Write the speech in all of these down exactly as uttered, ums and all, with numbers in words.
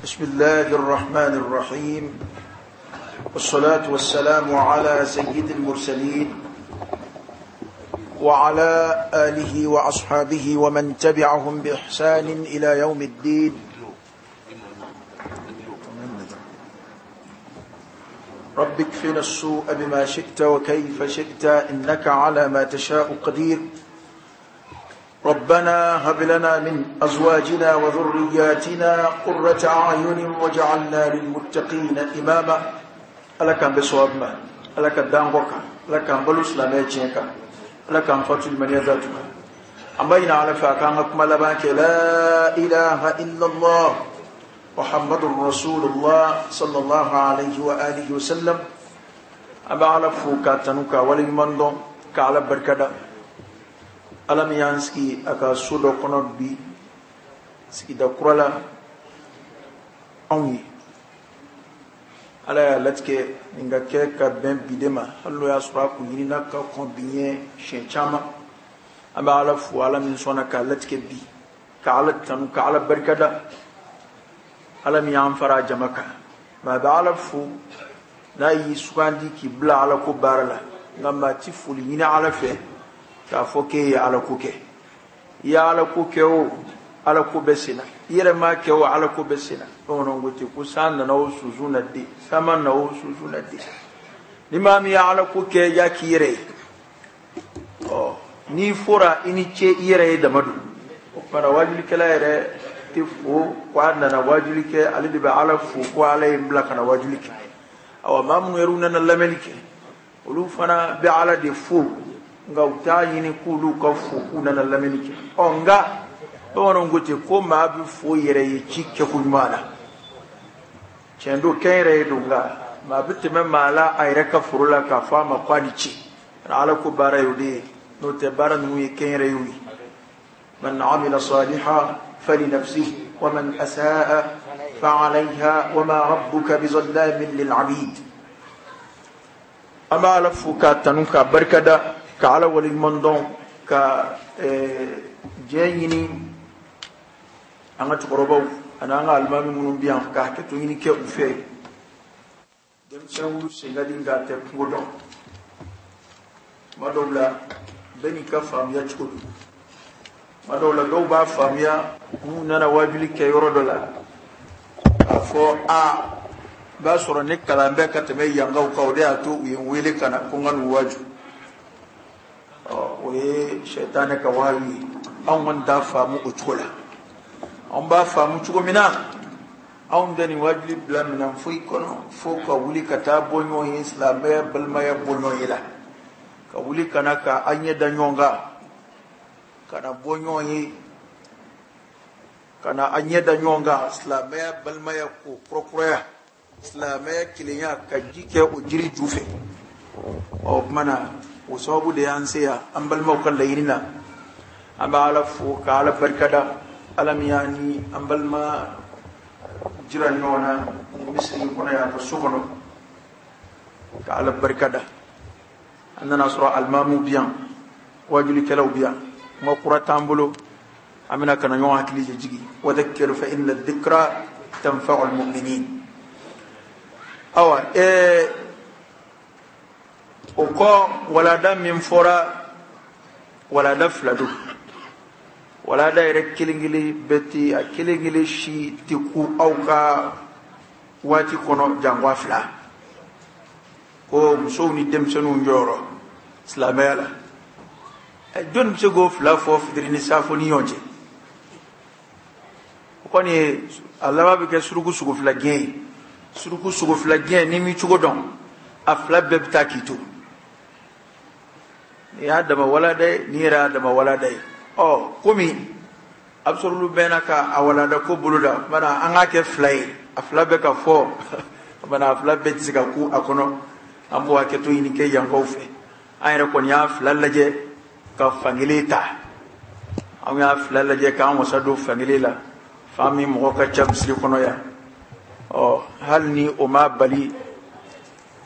بسم الله الرحمن الرحيم، والصلاة والسلام على سيد المرسلين وعلى آله وأصحابه ومن تبعهم بإحسان إلى يوم الدين. رب اكفنا السوء بما شئت وكيف شئت إنك على ما تشاء قدير. ربنا هب لنا من أزواجنا وذرياتنا قرة أعين واجعلنا للمتقين إماما. ألا كان بصواب ما ألا كان دانغوكا ألا كان بلوس لما يجيكا ألا كان فاتل من يذاتك أما على فاكان أكمل بانك لا إله إلا الله محمد رسول الله صلى الله عليه وآله وسلم. أما على فوكا تنوكا ولمندون كعلى بركدا ألم يانسكي أكا سودو كنو بي سكي دا كرولا أوني ala y'a latigɛ nin ka kɛ ka bɛn bi de ma, hali n'o y'a sɔrɔ a kun ɲinina ka kɔn bi ɲɛ siɲɛ caman. An bɛ ala fo, ala min sɔnna k'a latigɛ bi, ka ala tanu, ka ala barikada, ala min y'an fara a jama kan. Maa bɛ ala fo n'a y'i sugandi k'i bila ala ko baara la, nka maa ti foli ɲini ala fɛ k'a fɔ k'e ye ala ko kɛ. I ye ala ko kɛ o, ala ko bɛ sen na, i yɛrɛ m'a kɛ o, ala ko bɛ sen na. Bamananw ko ten ko san nana o sunsun na den, san ma na o sunsun na den. Ni maa min ye ala ko kɛ, y'a k'i yɛrɛ ye. Ɔ n'i fɔra i ni ce, i yɛrɛ ye dama don. O tuma na waajulikɛla yɛrɛ tɛ fo ko a nana waajuli kɛ, ale de bɛ ala fo ko ala ye n bila ka na waajuli kɛ. Awa maa minnu yɛrɛ nana lamɛnni kɛ, olu fana bɛ ala de fo, nka u t'a ɲini k'olu ka fo k'u nana lamɛnni kɛ. Ɔ nka bamananw ko ten ko maa bɛ fo yɛrɛ ye ci kɛko ɲuman na. Tiɲɛ don, kɛn yɛrɛ ye don, nka maa bɛ tɛmɛ maa la a yɛrɛ ka foro la k'a fɔ a ma ko a ni ce. Ala ko baara ye o de ye, n'o tɛ baara ninnu ye kɛn yɛrɛ ye o ye. Man amila salihan falinafsihi wa man asaa fa'alayha wa ma rabbuka bizallamin lil abid. An b'a ala fo k'a tanu, k'a barikada, ka ala waleɲuman dɔn, ka diɲɛ ɲini an ka cɛkɔrɔbaw ani an ka alimami minnu bɛ yan ka hakɛto ɲini kɛ u fɛ. Denmisɛnw sen ka di nka a tɛ kungo dɔn. Tuma dɔw la bɛɛ n'i ka faamuya cogo don. Tuma dɔw la dɔw b'a faamuya n'u nana waajuli kɛ yɔrɔ dɔ la k'a fɔ a b'a sɔrɔ ne kalan bɛ ka tɛmɛ yankaw kan, o de y'a to u ye n wele ka na ko n ka n'u waaju. Ɔ o ye sɛtanɛ ka waaju ye. Anw kɔni t'a faamu o cogo la. Anw b'a faamu cogo min na, anw tɛ nin waajuli bila minɛn foyi kɔnɔ fo ka wuli ka taa bɔ ɲɔgɔn ye, silamɛya balimaya bɔ ɲɔgɔn ye la, ka wuli ka na ka an ɲɛ da ɲɔgɔn kan, ka na bɔ ɲɔgɔn ye, ka na an ɲɛ da ɲɔgɔn kan, silamɛya balimaya ko kurakuraya, silamɛya kelenya, ka ji kɛ o jiri ju fɛ. Ɔ o tuma na o sababu de y'an se yan an balimaw ka laɲini na. An bɛ ala fo ka ala barikada, ala min y'an ni an balima jira ɲɔgɔn na nin misiri in kɔnɔ yan, ka so kɔnɔ, ka ala barikada. An nana sɔrɔ alimamuw bi yan, waajulikɛlaw bi yan, kuma kura t'an bolo, an bɛna ka na ɲɔgɔn hakili jigin. Wa dhakkir fa inna dhikra tanfa'u al-mu'minin. Awa ɛɛ o kɔ, walada min fɔra, walada fila don. Walada yɛrɛ kelen kelen bɛɛ tɛ, a kelen kelen si tɛ ku aw ka waati kɔnɔ janko a fila. Ko musow ni denmisɛnninw jɔyɔrɔ silamɛya la, jɔnni bɛ se k'o fila fɔ fitiri ni saafo ni ɲɔgɔn cɛ? O kɔni ye a laban bɛ kɛ suruku sogo fila gɛn ye. Suruku sogo fila gɛn, n'i m'i cogo dɔn, a fila bɛɛ bɛ taa k'i to. Nin y'a dama walada ye, nin yɛrɛ y'a dama walada ye. Ɔ komi a bɛ sɔrɔ olu bɛɛ n'a ka a walada ko bolo da, bana an k'a kɛ fila ye, a fila bɛɛ ka fɔ, bana a fila bɛɛ tɛ se ka ku a kɔnɔ. An b'o hakɛto ɲini kɛ yankaw fɛ. An yɛrɛ kɔni y'a fila lajɛ ka fankelen ta, an y'a fila lajɛ k'an wasa don fankelen la, fan min mɔgɔ ka ca misiri kɔnɔ yan. Ɔ hali ni o ma bali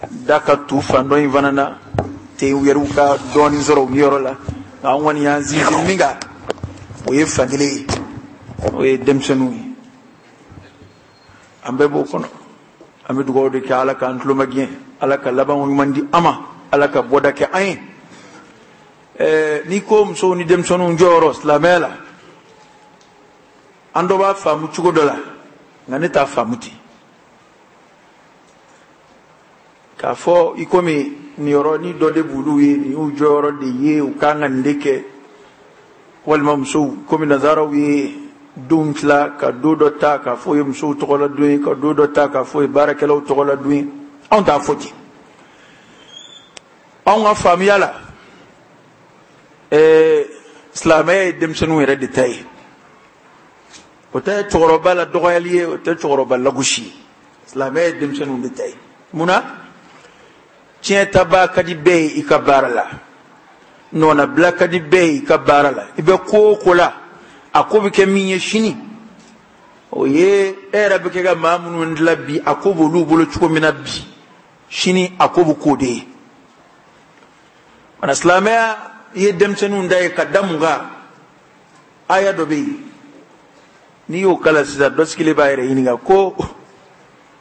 da ka tu fan dɔ in fana na ten, u yɛrɛw ka dɔɔnin sɔrɔ u yɔrɔ la. Nka an kɔni y'an sinsin min kan, o ye fankelen ye, o ye denmisɛnninw ye. An bɛɛ b'o kɔnɔ. An bɛ dugawu de kɛ Ala k'an tulo magɛn, Ala ka laban ɲuman di an ma, Ala ka bɔda kɛ an ye. Ɛɛ n'i ko musow ni denmisɛnninw jɔyɔrɔ silamɛya la, an dɔ b'a faamu cogo dɔ la, nka ne t'a faamu ten. K'a fɔ i komi nin yɔrɔnin dɔ de b'olu ye, nin y'u jɔyɔrɔ de ye, u kan ka nin de kɛ. Walima musow komi nanzaraw ye donw tila ka don dɔ ta k'a fɔ o ye musow tɔgɔla don ye, ka don dɔ ta k'a fɔ o ye baarakɛlaw tɔgɔla don ye. Anw t'a fɔ ten. Anw ka faamuya la, ɛɛ silamɛya ye denmisɛnninw yɛrɛ de ta ye. O tɛ cɛkɔrɔba la dɔgɔyali ye, o tɛ cɛkɔrɔba lagosi ye. Silamɛya ye denmisɛnninw de ta ye. Mun na? Tiɲɛtabaa ka di bɛɛ ye i ka baara la, nɔnabila ka di bɛɛ ye i ka baara la. I bɛ ko o ko la, a ko bɛ kɛ min ye sini, o ye e yɛrɛ bɛ kɛ ka maa minnu dilan bi, a ko b'olu bolo cogo min na bi, sini a ko bɛ k'o de ye. Mana silamɛya ye denmisɛnninw da ye ka da mun kan? Aya dɔ bɛ yen, n'i y'o kalan sisan, dɔ sigilen b'a yɛrɛ ɲininka ko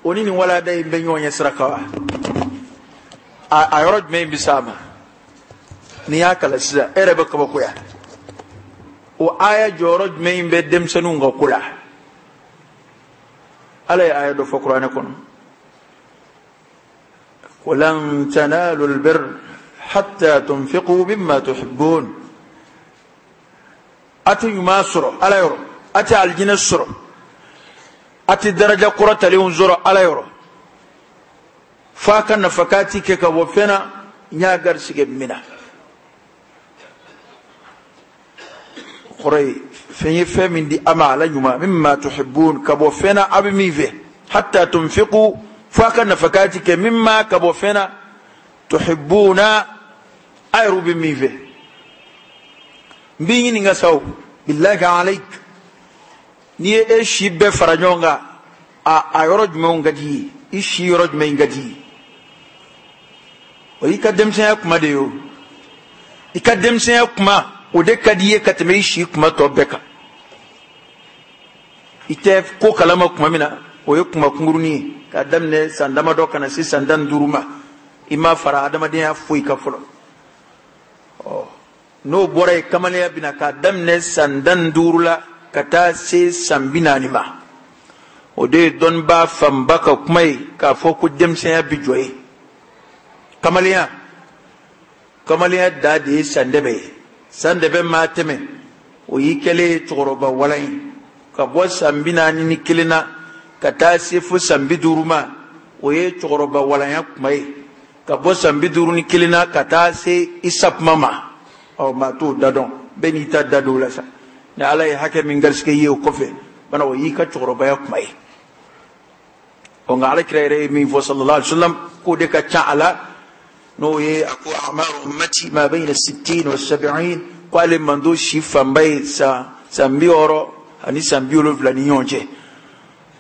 o ni nin walada in bɛ ɲɔgɔn ɲɛ sira kan wa? A yɔrɔ jumɛn bɛ s'a ma? N'i y'a kalan sisan, e yɛrɛ bɛ kabakoya. O aya jɔyɔrɔ jumɛn bɛ denmisɛnninw ka ko la? Ala ye aya dɔ fɔ kuranɛ kɔnɔ. Ko lan tanalu albirra hatta tunfiqu mimma tuhibbun. A tɛ ɲuman sɔrɔ Ala yɔrɔ, a tɛ alijinɛ sɔrɔ, a tɛ daraja kɔrɔtalenw sɔrɔ Ala yɔrɔ, f'a ka nafakati kɛ ka bɔ fɛn na n y'a garisigɛ min na. Kɔrɔ ye fɛn ye fɛn min di a ma ala ɲuman, mimma tuhibbun, ka bɔ fɛn na a bɛ min fɛ. Hatta tunfiqu, f'a ka nafakati kɛ, mimma, ka bɔ fɛn na, tuhibbuna, a yɛrɛ bɛ min fɛ. N b'i ɲininka sa o, billahi alayk, n'i ye e si bɛɛ fara ɲɔgɔn kan, a a yɔrɔ jumɛnw ka di i ye? I si yɔrɔ jumɛn ka di i ye? O y'i ka denmisɛnya kuma de ye o. I ka denmisɛnya kuma, o de ka di i ye ka tɛmɛ i si kuma tɔ bɛɛ kan. I tɛ ko kalama kuma min na, o ye kuma kunkurunin ye, k'a daminɛ san damadɔ ka na se san tan ni duuru ma, i ma fara adamadenya foyi kan fɔlɔ. Ɔ n'o bɔra yen, kamalenya bɛ na k'a daminɛ san tan ni duuru la ka taa se san bi naani ma. O de ye dɔnnibaa fanba ka kuma ye k'a fɔ ko denmisɛnya bɛ jɔ yen. Kamalenya, kamalenya da de ye sandɛbɛ ye. Sandɛbɛ maa tɛmɛ, o y'i kɛlen ye cɛkɔrɔba walan ye. Ka bɔ san bi naani ni kelen na ka taa se fo san bi duuru ma, o ye cɛkɔrɔba walanya kuma ye. Ka bɔ san bi duuru ni kelen na ka taa se i sakuma ma, ɔ maa t'o da dɔn, bɛɛ n'i ta da don o la sa. Ni Ala ye hakɛ min garisigɛ i ye o kɔfɛ, bana o y'i ka cɛkɔrɔbaya kuma ye. Ɔ nka Ala kira yɛrɛ ye min fɔ sallallahu alaihi wa sallam, k'o de ka ca a la, n'o ye a ko a'maru ummati ma bayna sittin wa sab'in, ko ale mando si fanba ye san san bi wɔɔrɔ ani san bi wolonwula ni ɲɔgɔn cɛ.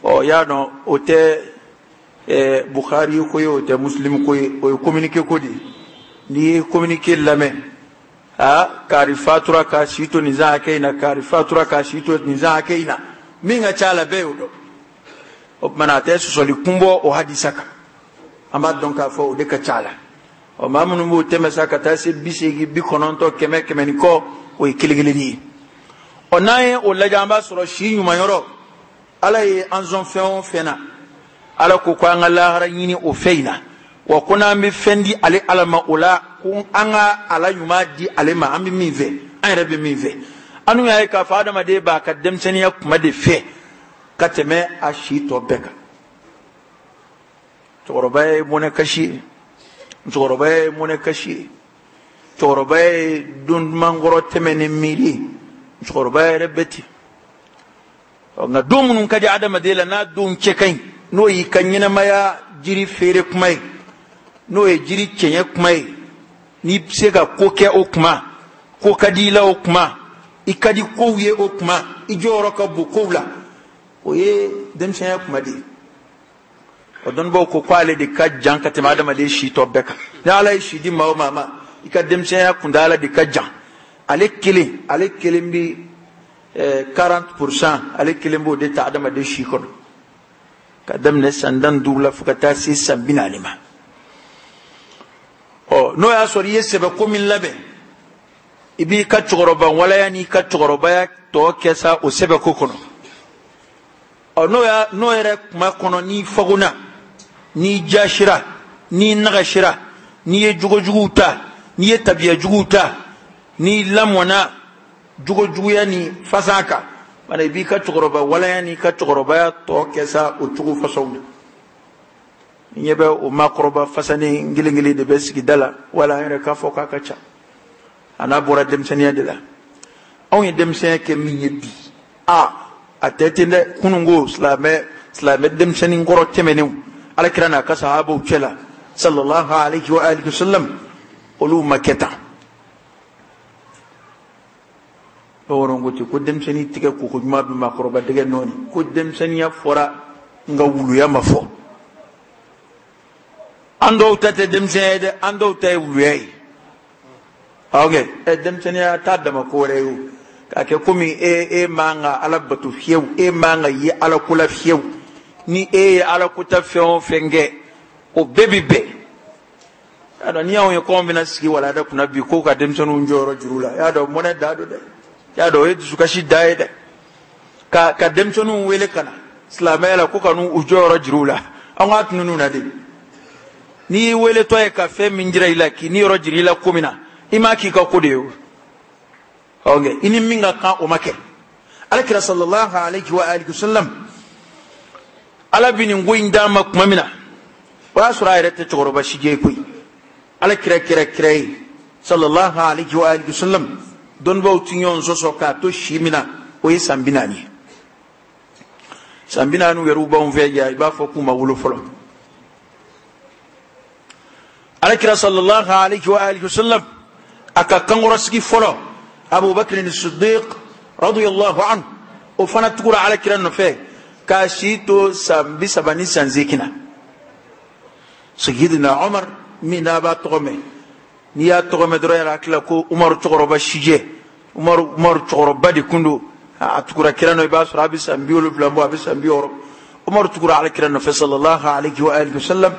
Ɔ y'a dɔn o tɛ ɛɛ Bukhari ko ye, o tɛ Muslim ko ye, o ye communiqué ko de ye. N'i ye communiqué lamɛn, aa kari fatura k'a si to nin san hakɛ in na, kari fatura k'a si to nin san hakɛ in na, min ka ca a la bɛɛ y'o dɔn. O tuma na a tɛ sɔsɔli kun bɔ o hadisa kan. An b'a dɔn k'a fɔ o de ka ca a la. Ɔ maa minnu b'o tɛmɛ sa ka taa se bi seegin, bi kɔnɔntɔn, kɛmɛ, kɛmɛ ni kɔ, o ye kelen kelennin ye. Ɔ n'an ye o lajɛ, an b'a sɔrɔ si ɲuman yɔrɔ, Ala ye an sɔn fɛn o fɛn na, Ala ko ko an ka lahara ɲini o fɛn in na. Wa ko n'an bɛ fɛn di ale Ala ma o la, ko an ka ala ɲuman di ale ma, an bɛ min fɛ, an yɛrɛ bɛ min fɛ. An dun y'a ye k'a fɔ adamaden b'a ka denmisɛnninya kuma de fɛ ka tɛmɛ a si tɔ bɛɛ kan. Cɛkɔrɔba ye mɔnɛ kasi ye, musokɔrɔba ye mɔnɛ kasi ye, cɛkɔrɔba ye don dumankɔrɔ tɛmɛ ni miiri ye, musokɔrɔba yɛrɛ bɛ ten. Nka don minnu ka di adamaden la, n'a don cɛ ka ɲi, n'o y'i ka ɲɛnamaya jiri feere kuma ye, n'o ye jiri cɛɲɛ kuma ye, n'i bɛ se ka ko kɛ o kuma, ko ka di i la o kuma, i ka di kow ye o kuma, i jɔyɔrɔ ka bon kow la, o ye denmisɛnya kuma de ye. O dɔnnibaw ko k'ale de ka jan ka tɛmɛ adamaden si tɔ bɛɛ kan. Ni Ala ye si di maa o maa ma, i ka denmisɛnya kuntaala de ka jan. Ale kelen, ale kelen bi quarante pour cent, ale kelen b'o de ta adamaden si kɔnɔ. Ka daminɛ san tan ni duuru la fo ka taa se san bi naani ma. Ɔ n'o y'a sɔrɔ i ye sɛbɛko min labɛn, i b'i ka cɛkɔrɔba walaya n'i ka cɛkɔrɔbaya tɔ kɛ sa o sɛbɛko kɔnɔ. Ɔ n'o y'a n'o yɛrɛ kuma kɔnɔ, n'i fagona, n'i jasira, n'i nagasira, n'i ye jogojuguw ta, n'i ye tabiya juguw ta, n'i lamɔna jogojuguya ni fasan kan, mana i b'i ka cɛkɔrɔba walaya n'i ka cɛkɔrɔbaya tɔ kɛ sa o cogo fasɔnw na. N ɲɛ bɛ o maakɔrɔba fasanen kelen kelen de bɛ sigida la, wala an yɛrɛ k'a fɔ k'a ka ca. A n'a bɔra denmisɛnninya de la. Anw ye denmisɛnya kɛ min ye bi, a a tɛ ten dɛ. Kununko silamɛ silamɛ denmisɛnnin kɔrɔ tɛmɛnenw, Alakira n'a ka sahabaw cɛ la sallallahu alayhi wa alihi wa sallam, olu ma kɛ tan. Bamananw ko ten ko denmisɛnnin tigɛ koko ɲuman bɛ maakɔrɔba dɛgɛ nɔɔni, ko denmisɛnninya fɔra nka wuluya ma fɔ. An dɔw ta tɛ denmisɛnya ye dɛ, an dɔw ta ye wuluya ye. Ok, ɛ denmisɛnninya t'a dama ko wɛrɛ ye o, k'a kɛ komi e e man ka Ala bato fiyewu, e man ka ye Ala ko la fiyewu. Ni e ye Ala ko ta fɛn o fɛn kɛ, o bɛɛ bi bɛn. Y'a dɔn n'i y'anw ye k'anw bɛna sigi walada kunna bi k'o ka denmisɛnninw jɔyɔrɔ juru la, y'a dɔn mɔnɛ da don dɛ, y'a dɔn o ye dusukasi da ye dɛ. Ka ka denmisɛnninw wele ka na silamɛya la ko ka n'u jɔyɔrɔ juru la, an k'a tunun na de. N'i y'i weletɔ ye ka fɛn min jira i la, k'i ni yɔrɔ jira i la ko min na, i m'a k'i ka ko de ye o. Ok, i ni min ka kan o ma kɛ. Alakira sallallahu alayhi wa alihi wa sallam, Ala bi nin ko in d'a ma tuma min na, o y'a sɔrɔ a yɛrɛ tɛ cɛkɔrɔba si jɛ koyi. Alakira kɛra kira ye sallallahu alayhi wa alihi wa sallam, dɔnnibaw ti ɲɔgɔn sɔsɔ k'a to si min na, o ye san bi naani ye. San bi naani yɛrɛ b'anw fɛ yan, i b'a fɔ k'u ma wolo fɔlɔ. Alakira sallallahu alayhi wa alihi wa sallam, a ka kankɔrɔsigi fɔlɔ, Abubakar Siddiq radiyallahu anhu, o fana tugura Alakira nɔfɛ k'a si to san bi saba ni san seegin na. Sayyidina Umar min n'a b'a tɔgɔ mɛn, n'i y'a tɔgɔ mɛn dɔrɔn yɛrɛ hakili la ko Umaru cɛkɔrɔba sijɛ, Umaru Umaru cɛkɔrɔba de kun don. A tugura kira nɔ, i b'a sɔrɔ a bɛ san bi wolonwula bɔ, a bɛ san bi wɔɔrɔ. Umaru tugura Alakira nɔfɛ sallallahu alayhi wa alihi wa sallam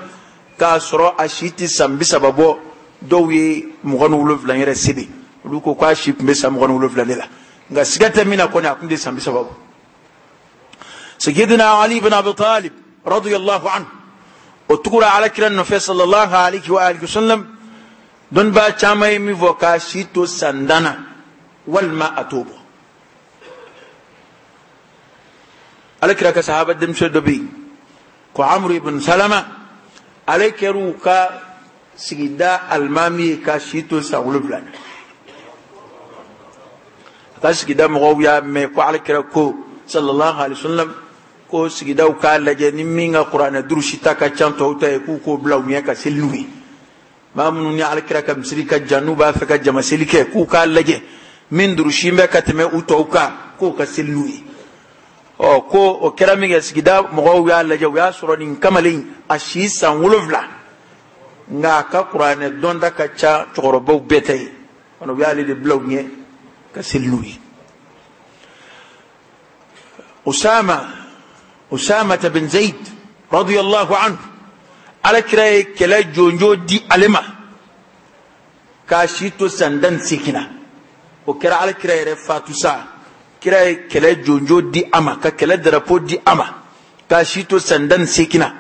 k'a sɔrɔ a si tɛ san bi saba bɔ. Dɔw ye mugan ni wolonwula yɛrɛ sɛbɛn, olu ko k'a si tun bɛ san mugan ni wolonwula de la, nka siga tɛ min na kɔni, a tun tɛ san bi saba bɔ. Sayyidina Ali ibn Abi Talib radiyallahu anhu, o tugura Alakira nɔfɛ sallallahu alayhi wa alihi wa sallam, dɔnnibaa caman ye min fɔ k'a si to san tan na walima a t'o bɔ. Alakira ka sahaba denmisɛn dɔ bɛ yen ko Amru ibn Salama, ale kɛr'u ka sigida alimami ye k'a si to san wolonwula na. A ka sigida mɔgɔw y'a mɛn ko Alakira ko sallallahu alayhi wa sallam ko sigidaw k'a lajɛ ni min ka kuranɛ durusi ta ka ca tɔw ta ye, k'u k'o bila u ɲɛ ka seli n'u ye. Maa minnu ni Alakira ka misiri ka jan n'u b'a fɛ ka jama seli kɛ, k'u k'a lajɛ min durusi bɛ ka tɛmɛ u tɔw kan, k'o ka seli n'u ye. Ɔ ko o kɛra min kɛ, sigida mɔgɔw y'a lajɛ, u y'a sɔrɔ nin kamalen a si san wolonwula, nka a ka kuranɛ dɔnta ka ca cɛkɔrɔbaw bɛɛ ta ye. U y'ale de bila u ɲɛ ka seli n'u ye. Usama Usama bin Zaid radiyallahu anhu, Alakira ye kɛlɛ jɔnjɔn di ale ma k'a si to san tan ni seegin na. O kɛra Alakira yɛrɛ fatu sa, kira ye kɛlɛ jɔnjɔn di a ma, ka kɛlɛ darapo di a ma k'a si to san tan ni seegin na.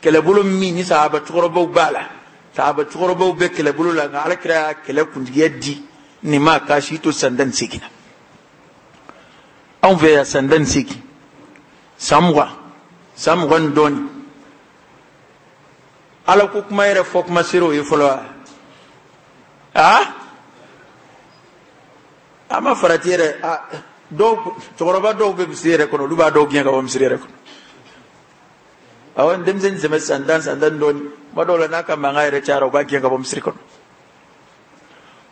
Kɛlɛbolo min ni sahaba cɛkɔrɔbaw b'a la, sahaba cɛkɔrɔbaw bɛ kɛlɛbolo la, nka Alakira y'a kɛlɛ kuntigiya di nin ma k'a si to san tan ni seegin na. Anw fɛ yan san tan ni seegin, san mugan, san mugan ni dɔɔnin, Ala ko kuma yɛrɛ fɔ kuma sera o ye fɔlɔ wa? Aa, a ma farati yɛrɛ. A dɔw cɛkɔrɔba dɔw bɛ misiri yɛrɛ kɔnɔ, olu b'a dɔw gɛn ka bɔ misiri yɛrɛ kɔnɔ. Awɔ, denmisɛnnin sɛmɛ san tan san tan dɔɔnin, kuma dɔw la n'a ka mankan yɛrɛ cayara, u b'a gɛn ka bɔ misiri kɔnɔ.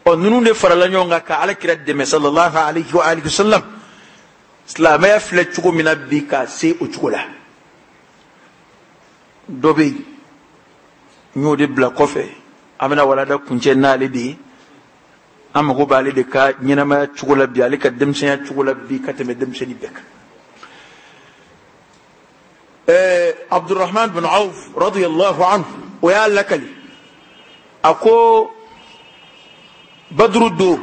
Ɔ ninnu de farala ɲɔgɔn kan ka Alakira dɛmɛ sallallahu alayhi wa alihi wa sallam. Silamɛya filɛ cogo min na bi k'a se o cogo la. Dɔ bɛ yen, n y'o de bila kɔfɛ, an bɛna walada kuncɛ n'ale de ye. An mago b'ale de ka ɲɛnamaya cogo la bi, ale ka denmisɛnya cogo la bi ka tɛmɛ denmisɛnnin bɛɛ kan. Ɛɛ Abdurrahman bin Auf radiyallahu anhu o y'a lakali a ko Badru do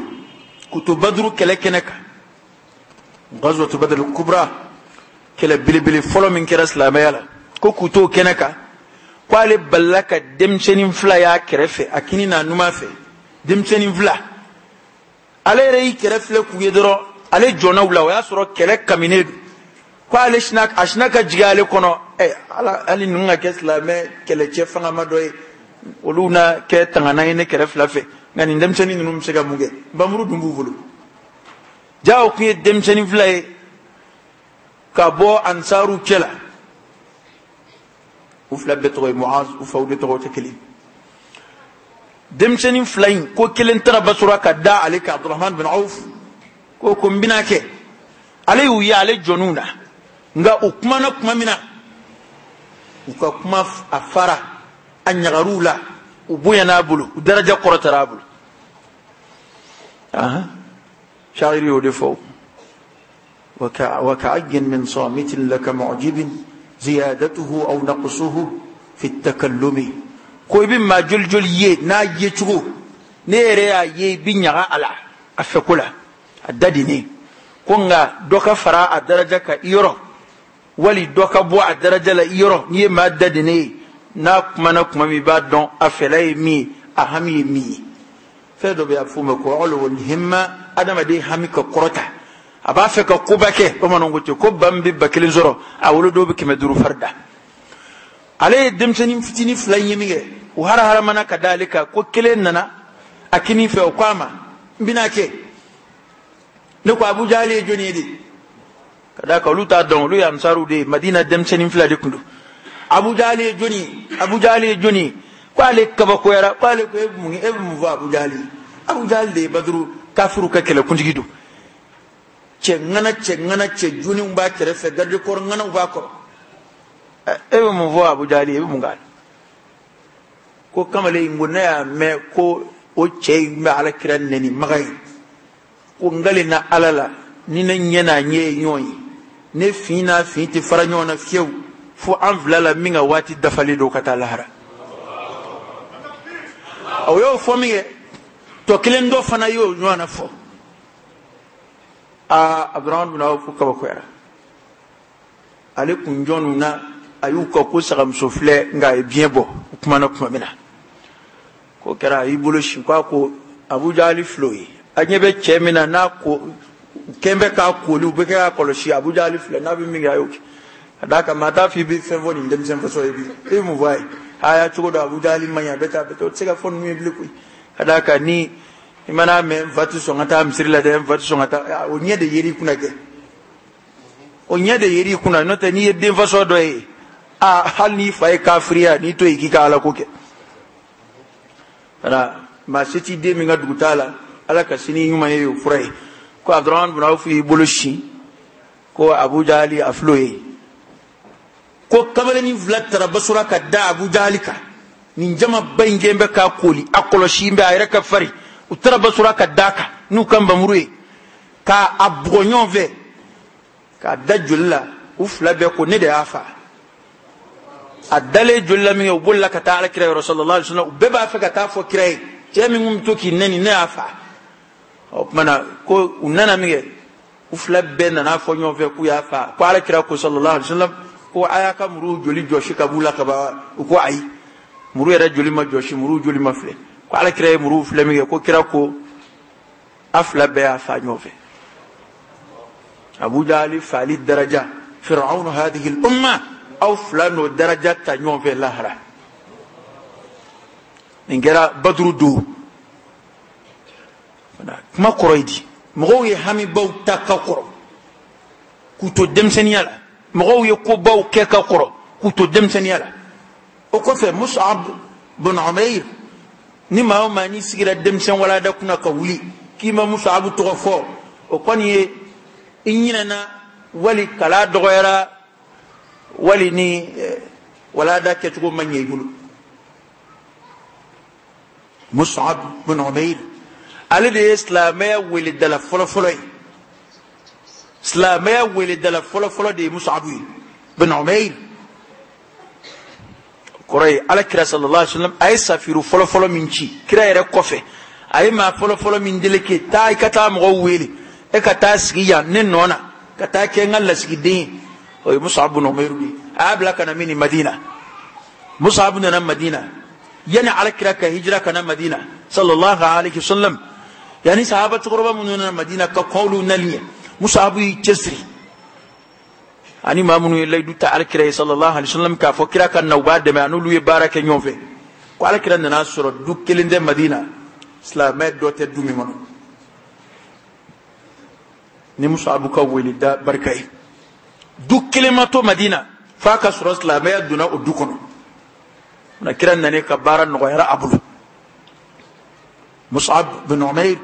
kutu Badru kɛlɛ kɛnɛ kan Ghazwatu Badr al-Kubra kɛlɛ belebele fɔlɔ min kɛra silamɛya la ko kutu kɛnɛ kan ko ale balila ka denmisɛnnin fila y'a kɛrɛfɛ a kini n'a numan fɛ denmisɛnnin fila ale yɛrɛ y'i kɛrɛ filɛ k'u ye dɔrɔn ale jɔnna u la o y'a sɔrɔ kɛlɛ kaminen don ko ale sina a sina ka jigin ale kɔnɔ ɛ ala hali ninnu ka kɛ silamɛ kɛlɛcɛ fangama dɔ ye olu na kɛ tangana ye ne kɛrɛ fila fɛ nka nin denmisɛnnin ninnu bɛ se ka mun kɛ nbamuru dun b'u bolo ja o kun ye denmisɛnnin fila ye ka bɔ ansaru cɛ la u fila bɛɛ tɔgɔ ye Muaz u faw de tɔgɔ tɛ kelen denmisɛnnin fila in ko kelen taara Basura ka da ale kan Abdurrahman bin Auf ko ko n bɛna kɛ ale y'u ye ale jɔn'u na nka u kumana kuma min na u ka kuma a fara a ɲagar'u la u bonyana a bolo u daraja kɔrɔtara a bolo ahan shairi y'o de fɔ وكعي من صامت لك معجب زيادته أو نقصه في التكلم ko i bɛ maa joli joli ye n'a ye cogo ne yɛrɛ y'a ye i bɛ ɲaga a la a fɛko la a da di ne ko nka dɔ ka fara a daraja kan i yɔrɔ wali dɔ ka bɔ a daraja la i yɔrɔ n'i ye maa da di ne ye n'a kumana kuma min i b'a dɔn a fɛla ye min ye a hami ye min ye fɛn dɔ bɛ yen a bɛ f'o ma ko ulul himma adamaden hami ka kɔrɔta a b'a fɛ ka koba kɛ bamananw ko ten ko ba min bɛ ba kelen sɔrɔ a wolodenw bɛ kɛmɛ duuru fari da ale ye denmisɛnnin fitinin fila in ye min kɛ u haraharamana ka da ale kan ko kelen nana a kinin fɛ o ko a ma n bɛna kɛ ne ko Abu Jahali ye jɔnni ye de ka d'a kan olu t'a dɔn olu ye ansaruw de ye Madina denmisɛnnin fila de tun don Abu Jahali ye jɔnni ye Abu Jahali ye jɔnni ye ko ale kabakoyara ko ale ko e bɛ mun e bɛ mun fɔ Abu Jahali ye Abu Jahali de ye Baduru kafiru ka kɛlɛkuntigi don cɛ ŋana cɛ ŋana cɛ joniw b'a kɛrɛfɛ garde corps ŋanaw b'a kɔrɔ e bɛ mun fɔ Abu Jahali ye e bɛ mun k'a la ko kamalen in ko ne y'a mɛn ko o cɛ in bɛ ala kira nɛni maga ye ko n kalenna ala la ni ne ɲɛ n'a ɲɛ ye ɲɔgɔn ye ne fin n'a fin tɛ fara ɲɔgɔn na fiyewu fo an fila la min ka waati dafalen don ka taa lahara o y'o fɔ min kɛ tɔ kelen dɔ fana y'o ɲɔgɔn na fɔ aa Abdurahman bin Awf kabakoyara ale kun jɔnw na a y'u ka ko sagamuso filɛ nka a ye biɲɛ bɔ u kumana kuma min na ko kɛra a y'i bolo sin ko a ko Abu Jahali filɛ o ye a ɲɛ bɛ cɛ min na n'a ko kɛn bɛ k'a koli u bɛ kɛ k'a kɔlɔsi Abu Jahali filɛ n'a bɛ min kɛ a y'o kɛ ka d'a kan maa t'a fɔ i bɛ fɛn fɔ nin denmisɛn fasɔ ye bi e bɛ mun fɔ a ye a y'a cogo dɔn Abu Jahali man ɲi a bɛ taa a bɛ taa o tɛ se ka fɔ ninnu ye bilen koyi ka d'a kan ni i mana mɛn n fa tɛ sɔn ka taa misiri la dɛ n fa tɛ sɔn ka taa o ɲɛ de yer'i kunna kɛ o ɲɛ de yer'i kunna n'o tɛ n'i ye den fasɔ dɔ ye a hali n'i fa ye kafiriya n'i to yen k'i ka ala ko kɛ wala maa se t'i den min ka dugu t'a la ala ka sini ɲuman ye o fura ye ko Abdurahman bin Awf y'i bolo sin ko Abu Jahali a fil'o ye ko kamalennin fila taara Basura ka da Abu Jahali kan nin jamaba in kɛn bɛ k'a koli a kɔlɔsi bɛ a yɛrɛ ka fari u taara Basura ka d'a kan n'u ka nbamuru ye k'a a bugɔ ɲɔgɔn fɛ k'a da joli la u fila bɛɛ ko ne de y'a fa a dalen joli la min kɛ u bolila ka taa ala kira yɔrɔ sallallahu alaihi wasallam u bɛɛ b'a fɛ ka taa fɔ kira ye cɛ min kun bɛ to k'i nɛni ne y'a fa o tuma na ko u nana min kɛ u fila bɛɛ nana fɔ ɲɔgɔn fɛ k'u y'a fa ko ala kira ko sallallahu alaihi wasallam ko a y'a ka muru joli jɔsi ka b'u la ka ban u ko ayi muru yɛrɛ joli ma jɔsi muru joli ma filɛ ko ala kira ye muru filɛ min kɛ ko kira ko a fila bɛɛ y'a fa ɲɔgɔn fɛ Abu Jahali faali daraja Fir'aunu hadhihi al-umma aw fila n'o daraja ta ɲɔgɔn fɛ lahara nin kɛra Baduru don kuma kɔrɔ ye di mɔgɔw ye hamibaw ta ka kɔrɔ k'u to denmisɛnninya la mɔgɔw ye kobaw kɛ ka kɔrɔ k'u to denmisɛnninya la o kɔfɛ Mus'ab bin Umair ni maa o maa n'i sigira denmisɛn walada kunna ka wuli k'i ma Mus'ab tɔgɔ fɔ o kɔni ye i ɲinɛna wali kala dɔgɔyara wali ni walada kɛcogo ma ɲɛ i bolo Mus'ab bin Umair ale de ye silamɛya weledala fɔlɔfɔlɔ ye silamɛya weledala fɔlɔfɔlɔ de ye Mus'ab ye bin Umair Kɔrɔ ye ala kira sallallahu alaihi wasallam a ye safiru fɔlɔ fɔlɔ min ci kira yɛrɛ kɔfɛ, a ye maa fɔlɔ fɔlɔ min deleke taa i ka taa mɔgɔw wele, e ka taa sigi yan ne nɔ na, ka taa kɛ n ka lasigiden ye. O ye Mus'ab bin Umair de ye. A y'a bila ka na min ni Madina. Mus'ab nana Madina yani ala kira ka hijira ka na Madina sallallahu alaihi wasallam, yani sahaba cɛkɔrɔba minnu nana Madina ka kɔn olu nali ɲɛ, Mus'ab y'i cɛsiri ani maa minnu ye layidu ta ala kira ye sallallahu alaihi wasallam k'a fɔ kira ka na u b'a dɛmɛ, a n'olu ye baara kɛ ɲɔgɔn fɛ. Ko ala kira nana sɔrɔ du kelen tɛ Madina, silamɛ dɔ tɛ du min kɔnɔ. Ni Mus'ab ka wele da barika ye, du kelen ma to Madina f'a ka sɔrɔ silamɛya donna o du kɔnɔ. Na kira nana ka baara nɔgɔyara a bolo. Mus'ab bin Umair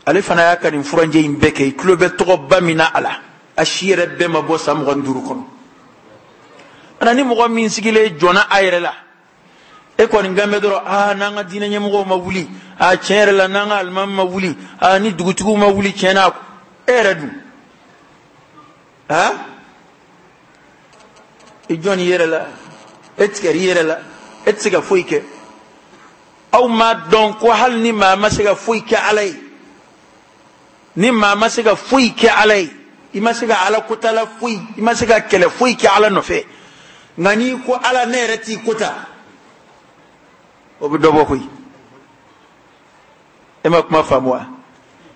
ale fana y'a ka nin furanjɛ in bɛɛ kɛ, i tulo bɛ tɔgɔba min na a la, a si yɛrɛ bɛɛ ma bɔ san mugan ni duuru kɔnɔ. Ana ni mɔgɔ min sigilen jɔnna a yɛrɛ la, e kɔni kan bɛ dɔrɔn, aa n'an ka diinɛ ɲɛmɔgɔw ma wuli, aa tiɲɛ yɛrɛ la n'an ka alimami ma wuli, aa ni dugutigiw ma wuli tiɲɛ na, e yɛrɛ dun aa i jɔn i yɛrɛ la, e tigɛr'i yɛrɛ la, e tɛ se ka foyi kɛ. Aw m'a dɔn ko hali ni maa ma se ka foyi kɛ ala ye, ni maa ma se ka foyi kɛ ala ye, i ma se ka ala kotala foyi, i ma se ka kɛlɛ foyi kɛ ala nɔfɛ, nka n'i ko ala ne yɛrɛ t'i kota, o bɛ dɔ bɔ koyi. E ma kuma faamu wa?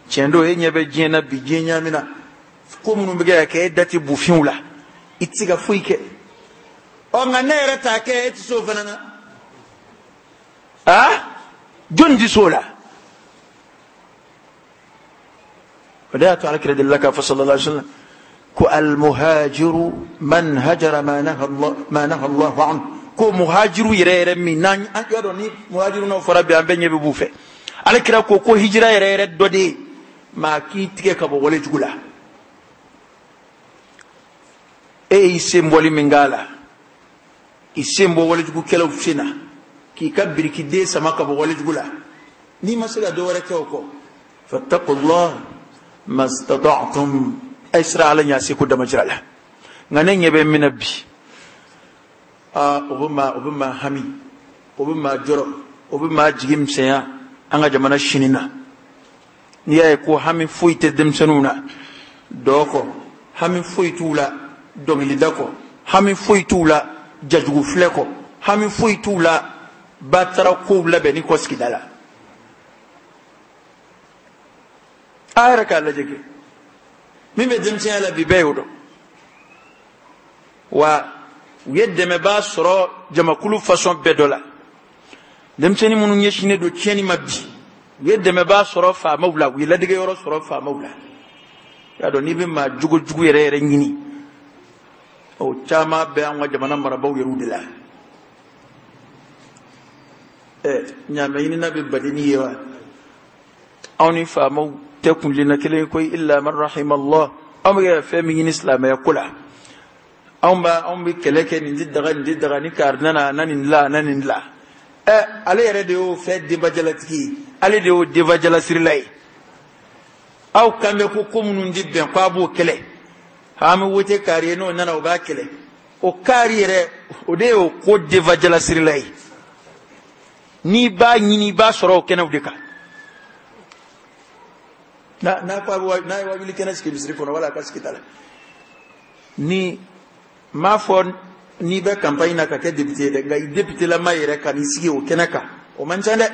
Tiɲɛ don, e ɲɛ bɛ diɲɛ na bi, diɲɛ ɲaamina, ko minnu bɛ kɛ ka kɛ, e da tɛ bufinw la, i tɛ se ka foyi kɛ. Ɔ nka ne yɛrɛ t'a kɛ, e tɛ se o fana na. Aa jɔnni tɛ se o la? O de y'a to alakira delila k'a fɔ sallallahu alaihi wasallam ko almuhajiru man hajara ma naha Allah ma naha Allahu anhu, ko muhajiru yɛrɛ yɛrɛ min n'an y'a dɔn ni muhajiru n'o fɔra bi an bɛɛ ɲɛ bɛ b'u fɛ. Alakira ko ko hijira yɛrɛ yɛrɛ dɔ de ye maa k'i tigɛ ka bɔ wale jugu la. E y'i sen bɔli min k'a la, i sen bɔ walejugukɛlaw sen na, k'i ka birikiden sama ka bɔ walejugu la, n'i ma se ka dɔ wɛrɛ kɛ o kɔ, fattaqullah mastata'tum, a ye siran ala ɲɛ a seko damajira la. Nka ne ɲɛ bɛ min na bi, aa o bɛ maa o bɛ maa hami, o bɛ maa jɔrɔ, o bɛ maa jigi misɛnya an ka jamana sini na. N'i y'a ye ko hami foyi tɛ denmisɛnninw na dɔɔ kɔ, hami foyi t'u la dɔnkilida kɔ, hami foyi t'u la jajugu filɛ kɔ, hami foyi t'u la batara kow labɛnni kɔ sigida la. A yɛrɛ k'a lajɛ kɛ min bɛ denmisɛnya la bi bɛɛ y'o dɔn. Wa u ye dɛmɛbaa sɔrɔ jamakulu fasɔn bɛɛ dɔ la. Denmisɛnnin minnu ɲɛsinnen don tiɲɛni ma bi, u ye dɛmɛbaa sɔrɔ faamaw la, u ye ladegeyɔrɔ sɔrɔ faamaw la. I y'a dɔn n'i bɛ maa jogo jugu yɛrɛ yɛrɛ ɲini, o caman bɛ an ka jamana marabaaw yɛrɛw de la. Ɛ ɲaamɛ ɲinina bɛ badenni ye wa? Anw ni faamaw tɛ kuntilenna kelen ye koyi, illa man rahima Allah. Anw bɛ ka fɛn min ɲini silamɛya ko la, anw b'a anw bɛ kɛlɛ kɛ nin tɛ daga nin tɛ daga, ni kari nana a na nin dilan a na nin dilan. Ɛ ale yɛrɛ de y'o fɛn denbajalatigi ye, ale de y'o denbajalasirila ye. Aw kan bɛ ko ko minnu tɛ bɛn k'a b'o kɛlɛ, an bɛ wote kari ye n'o nana o b'a kɛlɛ. O kari yɛrɛ o de y'o ko denbajalasirila ye. N'i b'a ɲini i b'a sɔrɔ o kɛnɛw de kan. N'a n'a ko a bɛ n'a ye wajuli kɛnɛ sigi misiri kɔnɔ wala a ka sigi ta la. Ni m'a fɔ n'i bɛ campagne na ka kɛ député ye dɛ, nka i député lama yɛrɛ ka n'i sigi o kɛnɛ kan, o man ca dɛ.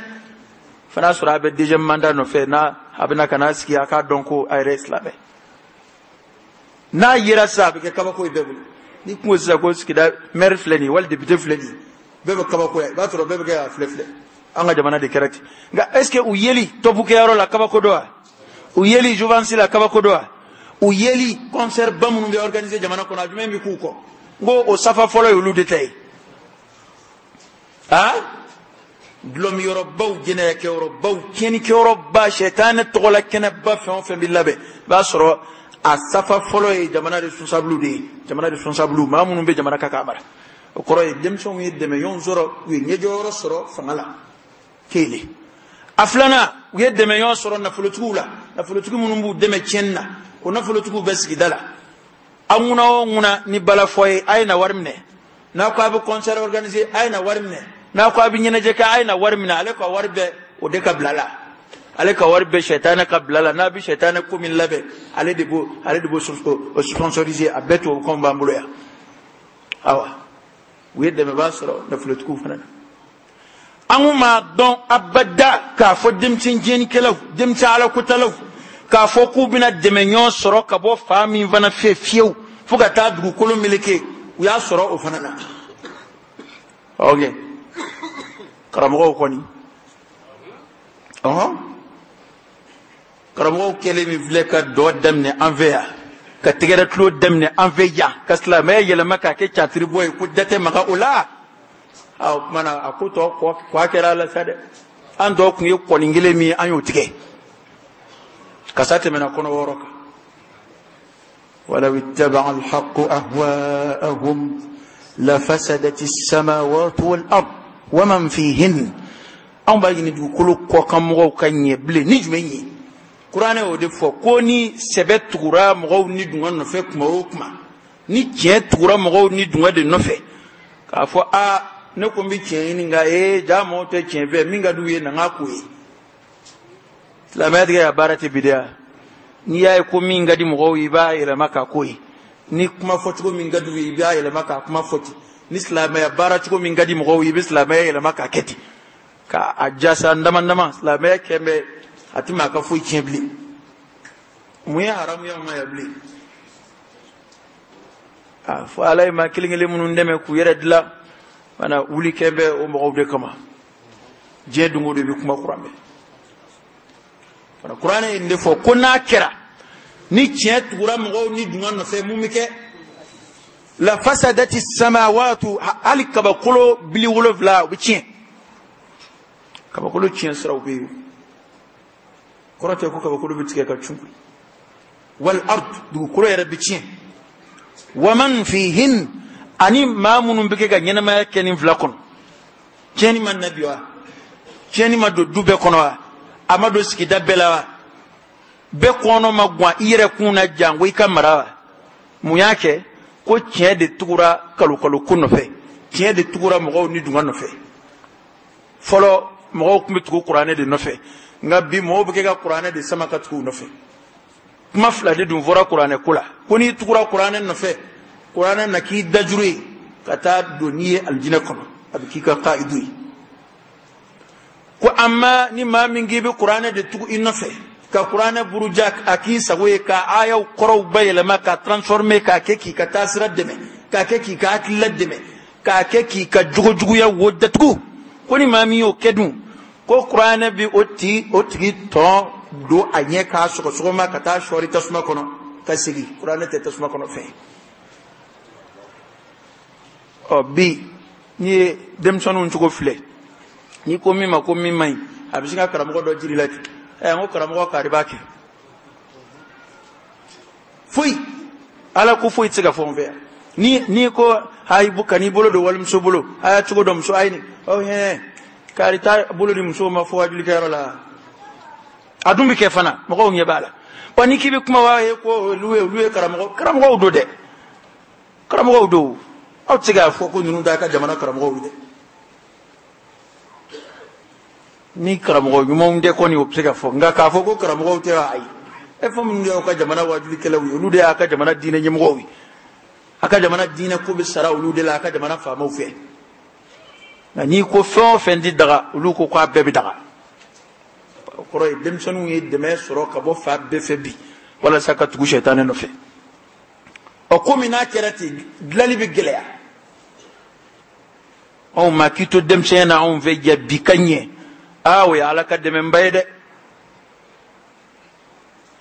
Fana sɔrɔ a bɛ deuxième mandat nɔfɛ, n'a a bɛna ka n'a sigi a k'a dɔn ko a yɛrɛ ye silamɛ. N'a yera sisan a bɛ kɛ kabako ye bɛɛ bolo. N'i kun ko sisan ko sigida maire filɛ nin ye wali député filɛ nin ye, bɛɛ bɛ kabakoya, i b'a sɔrɔ bɛɛ bɛ kɛ k'a filɛ filɛ. An ka jamana de kɛra ten. Nka est ce que u yeli tɔpukɛyɔrɔ la kabako don wa? U yeli jouvence la kabako don wa? U yeli concert ba minnu bɛ organiser jamana kɔnɔ, a jumɛn bɛ k'u kɔ? N ko o safa fɔlɔ ye olu de ta ye. Aa dulɔmiyɔrɔbaw, jɛnɛyakɛyɔrɔbaw, tiɲɛnikɛyɔrɔba, sɛtanɛ tɔgɔla kɛnɛba fɛn o fɛn bɛ labɛn, i b'a sɔrɔ a safa fɔlɔ ye jamana responsable de ye. Jamana responsable, maa minnu bɛ jamana kan k'a mara. O kɔrɔ ye denmisɛnw ye dɛmɛɲɔgɔn sɔrɔ, u ye ɲɛjɔyɔrɔ sɔrɔ fanga la. Kelen. A filanan, u ye dɛmɛɲɔgɔn sɔrɔ nafolotigiw la, nafolotigi minnu b'u dɛmɛ tiɲɛni na, o nafolotigiw bɛ sigida la. Aw ŋuna o ŋuna ni balafɔ ye, a ye na wari minɛ. N'a ko a bɛ concert organiser, a ye na wari minɛ. N'a ko a bɛ ɲɛnajɛ kɛ, a ye na wari minɛ. Ale ka wari bɛɛ o de ka bila la. Ale ka wari bɛɛ sɛtanɛ ka bila la. N'a bɛ sɛtanɛ ko min labɛn, ale de b'o ale de b'o sponsoriser. A bɛɛ tubabukanw b'an bolo yan. Awa, u ye dɛmɛbaa sɔrɔ nafolotigiw fana na. An kun m'a dɔn abada k'a fɔ denmisɛn tiɲɛnikɛlaw, denmisɛn alakotalaw, k'a fɔ k'u bɛna dɛmɛ ɲɔgɔn sɔrɔ ka bɔ fa min fana fɛ fiyewu fo ka taa dugukolo meleke. U y'a sɔrɔ o fana na. Ok, karamɔgɔw kɔni, ɔhɔn, karamɔgɔw kɛlen min filɛ ka dɔ daminɛ an fɛ yan, ka tɛgɛrɛ tulo daminɛ an fɛ yan, ka silamɛya yɛlɛma k'a kɛ catiribɔ ye ko da tɛ maga o la. A o tuma na a ko tɔ kɔ a kɛra a la sa dɛ. An tɔ kun ye kɔni kelen min ye, an y'o tigɛ. Kasa tɛmɛna kɔnɔ wɔɔrɔ kan. ولو اتبع الحق أهواءهم لفسدت السماوات والأرض ومن فيهن. Anw b'a ɲini dugukolo kɔkan mɔgɔw ka ɲɛ bilen ni jumɛn ye? Kuranɛ y'o de fɔ ko ni sɛbɛ tugura mɔgɔw ni dungɔ nɔfɛ kuma o kuma, ni tiɲɛ tugura mɔgɔw ni dungɔ de nɔfɛ, k'a fɔ a ne ko n bɛ tiɲɛ ɲini, nka ee ja mɔgɔw tɛ tiɲɛ fɛ, min ka d'u ye na n k'a k'o ye. Silamɛya tigɛ ka baara tɛ bidiya. N'i y'a ye ko min ka di mɔgɔw ye, i b'a yɛlɛma k'a k'o ye. Ni kuma fɔcogo min ka d'u ye, i b'a yɛlɛma k'a kuma fɔ ten. Ni silamɛya baara cogo min ka di mɔgɔw ye, i bɛ silamɛya yɛlɛma k'a kɛ ten. K'a jasa dama dama, silamɛya kɛ bɛ a ti maa ka foyi tiɲɛ bilen. Mun ye haramu ye anw ma yan bilen? A fɔ Ala ye maa kelen kelen minnu dɛmɛ k'u yɛrɛ dilan, mana wuli kɛ bɛ o mɔgɔw de kama. Diɲɛ don o don i bɛ kuma kuran mɛn. Fana kuranɛ ye nin de fɔ ko n'a kɛra ni tiɲɛ tugura mɔgɔw ni dungɔ nɔfɛ, mun bɛ kɛ? La fasadati samawatu, hali kabakolo bili wolonfila o bɛ tiɲɛ. Kabakolo tiɲɛ siraw bɛ yen. Kɔrɔ tɛ ko kabakolo bɛ tigɛ ka cun. Wal ard, dugukolo yɛrɛ bɛ tiɲɛ. Wa man fihin, ani maa minnu bɛ kɛ ka ɲɛnamaya kɛ nin fila kɔnɔ. Tiɲɛni ma na bi wa? Tiɲɛni ma don du bɛɛ kɔnɔ wa? A ma don sigida bɛɛ la wa? Bɛɛ kɔnɔ ma guwan i yɛrɛ kun na janko i ka mara wa? Mun y'a kɛ? Ko tiɲɛ de tugura kalokalo ko nɔfɛ. Tiɲɛ de tugura mɔgɔw ni dungɔ nɔfɛ. Fɔlɔ mɔgɔw tun bɛ tugu kuranɛ de nɔfɛ, nka bi mɔgɔw bɛ kɛ ka kuranɛ de sama ka tugu u nɔfɛ. Kuma fila de dun fɔra kuranɛ ko la. Ko n'i tugura kuranɛ nɔfɛ, kuranɛ na k'i dajuru ye ka taa don n'i ye alijinɛ kɔnɔ, a bɛ k'i ka kaidu ye. Ko amma ni maa min k'i bɛ kuranɛ de tugu i nɔfɛ, ka kuranɛ buruja a k'i sago ye, ka ayaw kɔrɔw bayɛlɛma, ka transformer, k'a kɛ k'i ka taasira dɛmɛ, k'a kɛ k'i ka hakilila dɛmɛ, k'a kɛ k'i ka jogojuguya wo datugu, ko ni maa min y'o kɛ dun, ko kuranɛ bi o tigi o tigi tɔn don a ɲɛ k'a sɔgɔsɔgɔma ka taa sɔɔri tasuma kɔnɔ ka segin. Kuranɛ tɛ tasuma kɔnɔ fɛn. Ɔ bi n'i ye denmisɛnninw cogo filɛ, n'i ko min ma ko min man ɲi, a bɛ sin ka karamɔgɔ dɔ jiri la ten. Ɛ n ko karamɔgɔ kari b'a kɛ. Foyi, Ala ko foyi tɛ se ka fɔ n fɛ yan. Ni n'i ko ayi kan'i bolo don walimuso bolo, a y'a cogo dɔn muso a ye nin, ɔ hɛn kari t'a bolo di musow ma fo wajulikɛyɔrɔ la. A dun bɛ kɛ fana, mɔgɔw ɲɛ b'a la. Wa n'i k'i bɛ kuma wa ye ko olu ye olu ye karamɔgɔ karamɔgɔw don dɛ, karamɔgɔw don. Aw tɛ se k'a fɔ ko ninnu t'a ka jamana karamɔgɔw ye dɛ. Ni karamɔgɔ ɲumanw tɛ kɔni o bɛ se ka fɔ, nka k'a fɔ ko karamɔgɔw tɛ wa, ayi. E fɛn minnu y'aw ka jamana wajulikɛlaw ye, olu de y'a ka jamana diinɛ ɲɛmɔgɔw ye. A ka jamana diinɛ ko bɛ sara olu de la, a ka jamana faamaw fɛ. Nka n'i ko fɛn o fɛn tɛ daga, olu ko k'a bɛɛ bɛ daga. O kɔrɔ ye denmisɛnninw ye dɛmɛ sɔrɔ ka bɔ fa bɛɛ fɛ bi walasa ka tugu sɛtanɛ nɔfɛ. Ɔ komi n'a kɛra ten, dilanli bɛ gɛlɛya. Anw ma k'i to denmisɛnya na anw fɛ ja bi ka ɲɛ. Aa o ye Ala ka dɛmɛba ye dɛ.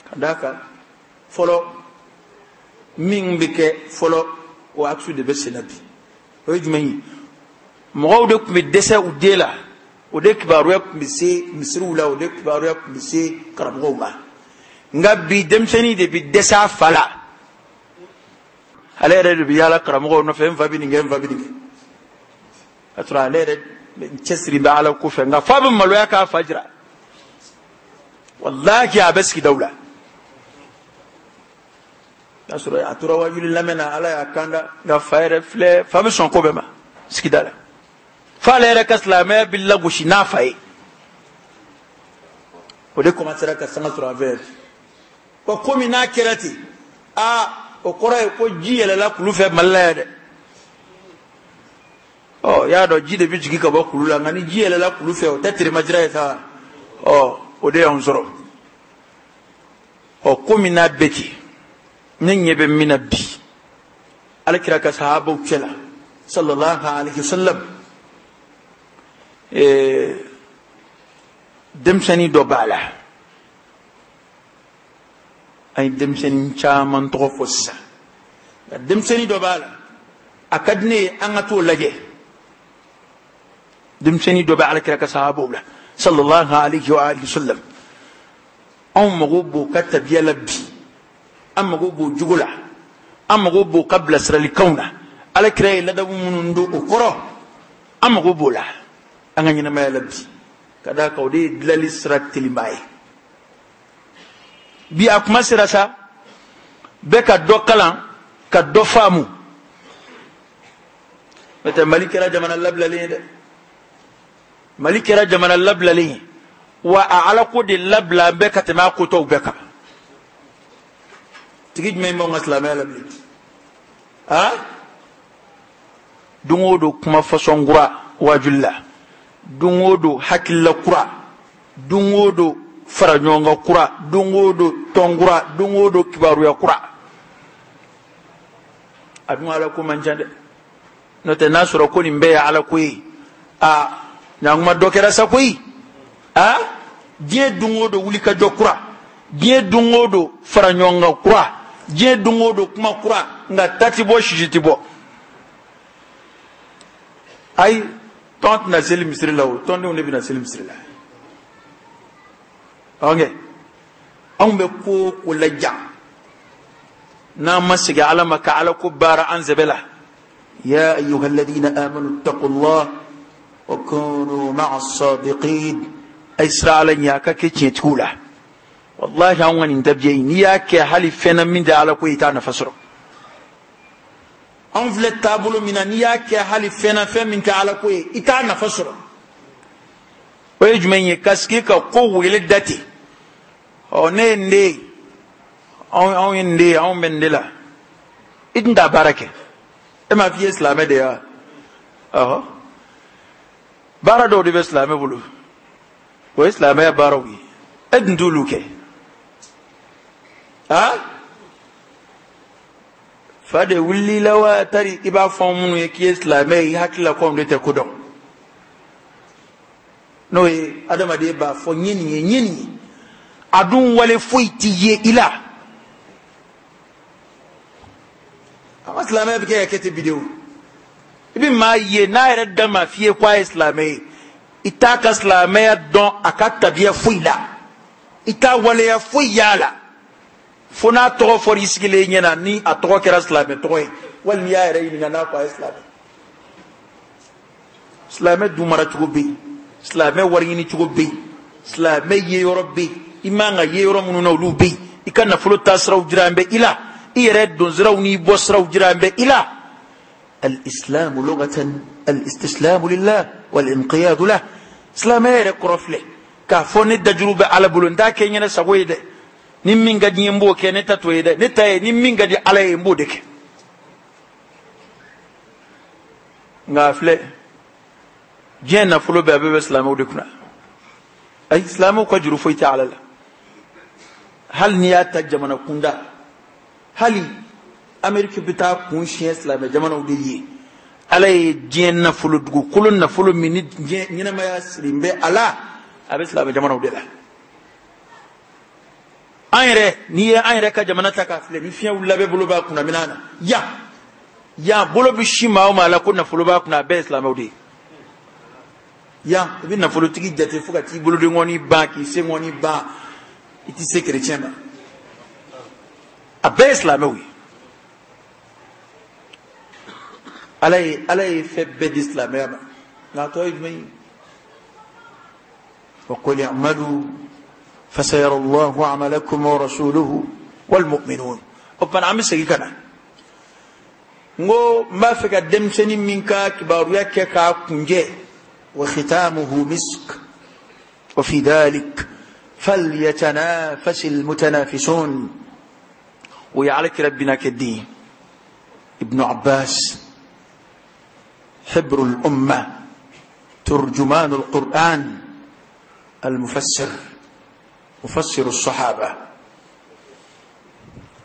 Ka d'a kan fɔlɔ min bɛ kɛ fɔlɔ, o aksu de bɛ sen na bi. O ye jumɛn ye? Mɔgɔw de tun bɛ dɛsɛ u den la, o de kibaruya tun bɛ se misiriw la, o de kibaruya tun bɛ se karamɔgɔw ma. Nka bi denmisɛnnin de bɛ dɛsɛ a fa la. Ale yɛrɛ de bɛ yaala karamɔgɔw nɔfɛ, n fa bɛ nin kɛ, n fa bɛ nin kɛ. Ka sɔrɔ ale yɛrɛ cɛsiri bɛ Ala ko fɛ, nka f'a bɛ maloya k'a fa jira. Walahi a bɛ sigidaw la. N'a sɔrɔ a tora wajuli lamɛn na, Ala y'a kanda, nka fa yɛrɛ filɛ, fa bɛ sɔn ko bɛɛ ma sigida la. Fa ale yɛrɛ ka silamɛya bɛ lagosi n'a fa ye. O de commencera ka sanga sɔrɔ an fɛ. Ko komi n'a kɛra ten, aa o kɔrɔ ye ko ji yɛlɛla kulu fɛ Mali la yan dɛ. Ɔ y'a dɔn ji de bɛ jigin ka bɔ kulu la, nka ni ji yɛlɛla kulu fɛ o tɛ teremajira ye sa. Ɔ o de y'anw sɔrɔ. Ɔ komi n'a bɛ ten, ne ɲɛ bɛ min na bi, Ala kira ka sahabaw cɛ la, sallallahu alaihi wasallam, ee denmisɛnnin dɔ b'a la. An ye denmisɛnnin caman tɔgɔ fɔ sisan, nka denmisɛnnin dɔ b'a la, a ka di ne ye an ka t'o lajɛ. Denmisɛnnin dɔ bɛ Ala kira ka sahabaw la, sallallahu alaihi wa alihi wasallam. Anw mago b'o ka tabiya la bi, an mago b'o jogo la, an mago b'o ka bilasiralikanw na. Ala kira ye ladamu minnu don o kɔrɔ, an mago b'o la an ka ɲɛnamaya la bi, ka d'a kan o de ye dilali sira teliman ye. Bi a kuma sera sa, bɛɛ ka dɔ kalan ka dɔ faamu. N'o tɛ Mali kɛra jamana labilalen ye dɛ. Mali kɛra jamana labilalen ye, wa a Ala ko de labila an bɛɛ ka tɛmɛ a kotɔw bɛɛ kan. Tigi jumɛn b'anw ka silamɛya la bilen? A don o don kuma fasɔn kura wajuli la, don o don hakilila kura, don o don fara ɲɔgɔn kan kura, don o don tɔn kura, don o don kibaruya kura. A dun Ala ko man ca dɛ. N'o tɛ n'a sɔrɔ ko nin bɛɛ ye Ala ko ye, a ɲankuma dɔ kɛra sa koyi. A diɲɛ don o don wulikajɔ kura, diɲɛ don o don fara ɲɔgɔn kan kura, diɲɛ don o don kuma kura, nka ta ti bɔ, sisi ti bɔ. Ayi, tɔn tɛna seli misiri la o, tɔndenw de bɛna seli misiri la. Ok, anw bɛ ko o ko laja, n'an ma segin Ala ma ka Ala ko baara an sɛbɛ la. Ya ayyuha alladhina amanu ittaqullah wa kunu ma'a as-sadiqin. A ye siran Ala ɲɛ, a ka kɛ tiɲɛtigiw la. Wallahi anw ka nin tabiya in, n'i y'a kɛ hali fɛn na min tɛ Ala ko ye, i t'a nafa sɔrɔ. Anw filɛ taabolo min na, n'i y'a kɛ hali fɛn na fɛn min tɛ Ala ko ye, i t'a nafa sɔrɔ. O ye jumɛn ye? Ka sigi ka ko wele da ten. Ɔ ne ye n den ye, anw anw ye n den ye, anw bɛ n de la. I tun t'a baara kɛ. E m'a f'i ye silamɛ de ye wa? Ɔhɔ. Baara dɔw de bɛ silamɛ bolo, o ye silamɛya baaraw ye. E dun t'olu kɛ. A fa de wulila wa tari i b'a fɔ minnu ye k'i ye silamɛ ye, i hakili la ko anw de tɛ ko dɔn. N'o ye adamaden b'a fɔ n ye nin ye, n ye nin ye, a dun wale foyi ti ye i la. An ka silamɛya bɛ kɛ ka kɛ ten bi de o. I bɛ maa ye n'a yɛrɛ da ma f'i ye k'a ye silamɛ ye, i t'a ka silamɛya dɔn a ka tabiya foyi la, i t'a waleya foyi y'a la, fo n'a tɔgɔ fɔra i sigilen ɲɛna, ni a tɔgɔ kɛra silamɛ tɔgɔ ye, walima i y'a yɛrɛ ɲininka n'a ko a ye silamɛ. Silamɛ dun mara cogo bɛ yen, silamɛ wari ɲini cogo bɛ yen, silamɛ ye yɔrɔ bɛ yen, i man ka ye yɔrɔ minnu na olu bɛ yen, i ka nafolo taasiraw jiran bɛ i la, i yɛrɛ donsiraw n'i bɔsiraw jiran bɛ i la. الإسلام لغة الاستسلام لله والانقياد له. Silamɛya yɛrɛ kɔrɔ filɛ k'a fɔ ne dajuru bɛ Ala bolo, n t'a kɛ n ɲɛna sago ye dɛ. Ni min ka di n ye n b'o kɛ, ne ta t'o ye dɛ. Ne ta ye ni min ka di Ala ye n b'o de kɛ. Nka a filɛ, diɲɛ nafolo bɛɛ a bɛɛ bɛ silamɛw de kunna. Ayi, silamɛw ka juru foyi tɛ Ala la. Hali n'i y'a ta jamana kunda, hali Amérique bɛ taa kun siɲɛ silamɛ jamanaw de ye. Ala ye diɲɛ nafolo, dugukolo nafolo min ni diɲɛ ɲɛnamaya sirilen bɛ a la, a bɛ silamɛ jamanaw de la. An yɛrɛ, n'i ye an yɛrɛ ka jamana ta k'a filɛ, ni fiɲɛ wulila bɛɛ bolo b'a kunna minɛn na. Yan yan bolo bɛ si maa o maa la ko nafolo b'a kunna, a bɛɛ ye silamɛw de ye. Yan i bɛ nafolotigi jate fo ka t'i bolodenkɔni ban, k'i senkɔni ban, i tɛ se kerecɛn ma. A bɛɛ ye silamɛw ye. Ala ye Ala ye fɛn bɛɛ di silamɛya ma, nka a tɔ ye jumɛn ye? Wa qul i'malu fasayara Allahu amalakum wa rasuluhu wal mu'minun. O tuma an bɛ segin ka na n ko n b'a fɛ ka denmisɛnnin min ka kibaruya kɛ k'a kunjɛ wa khitamuhu misk wa fi dhalik falyatanafasi almutanafisun o ye ala kira binakɛ den ye Ibnu Abbas حبر الأمة ترجمان القرآن المفسر مفسر الصحابة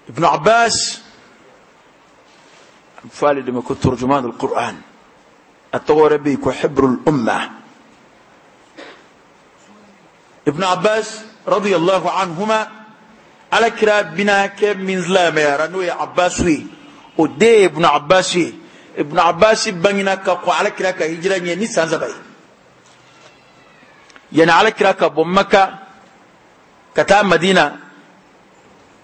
ابن عباس فالد ما كنت ترجمان القرآن التغور بيك حبر الأمة ابن عباس رضي الله عنهما على كراب بنا كم من زلام يا رنوي عباسوي ودي ابن عباسي ابن عباس بنينا كقو على كراك هجرة ني سان زباي يعني على كراك بمكة كتا مدينة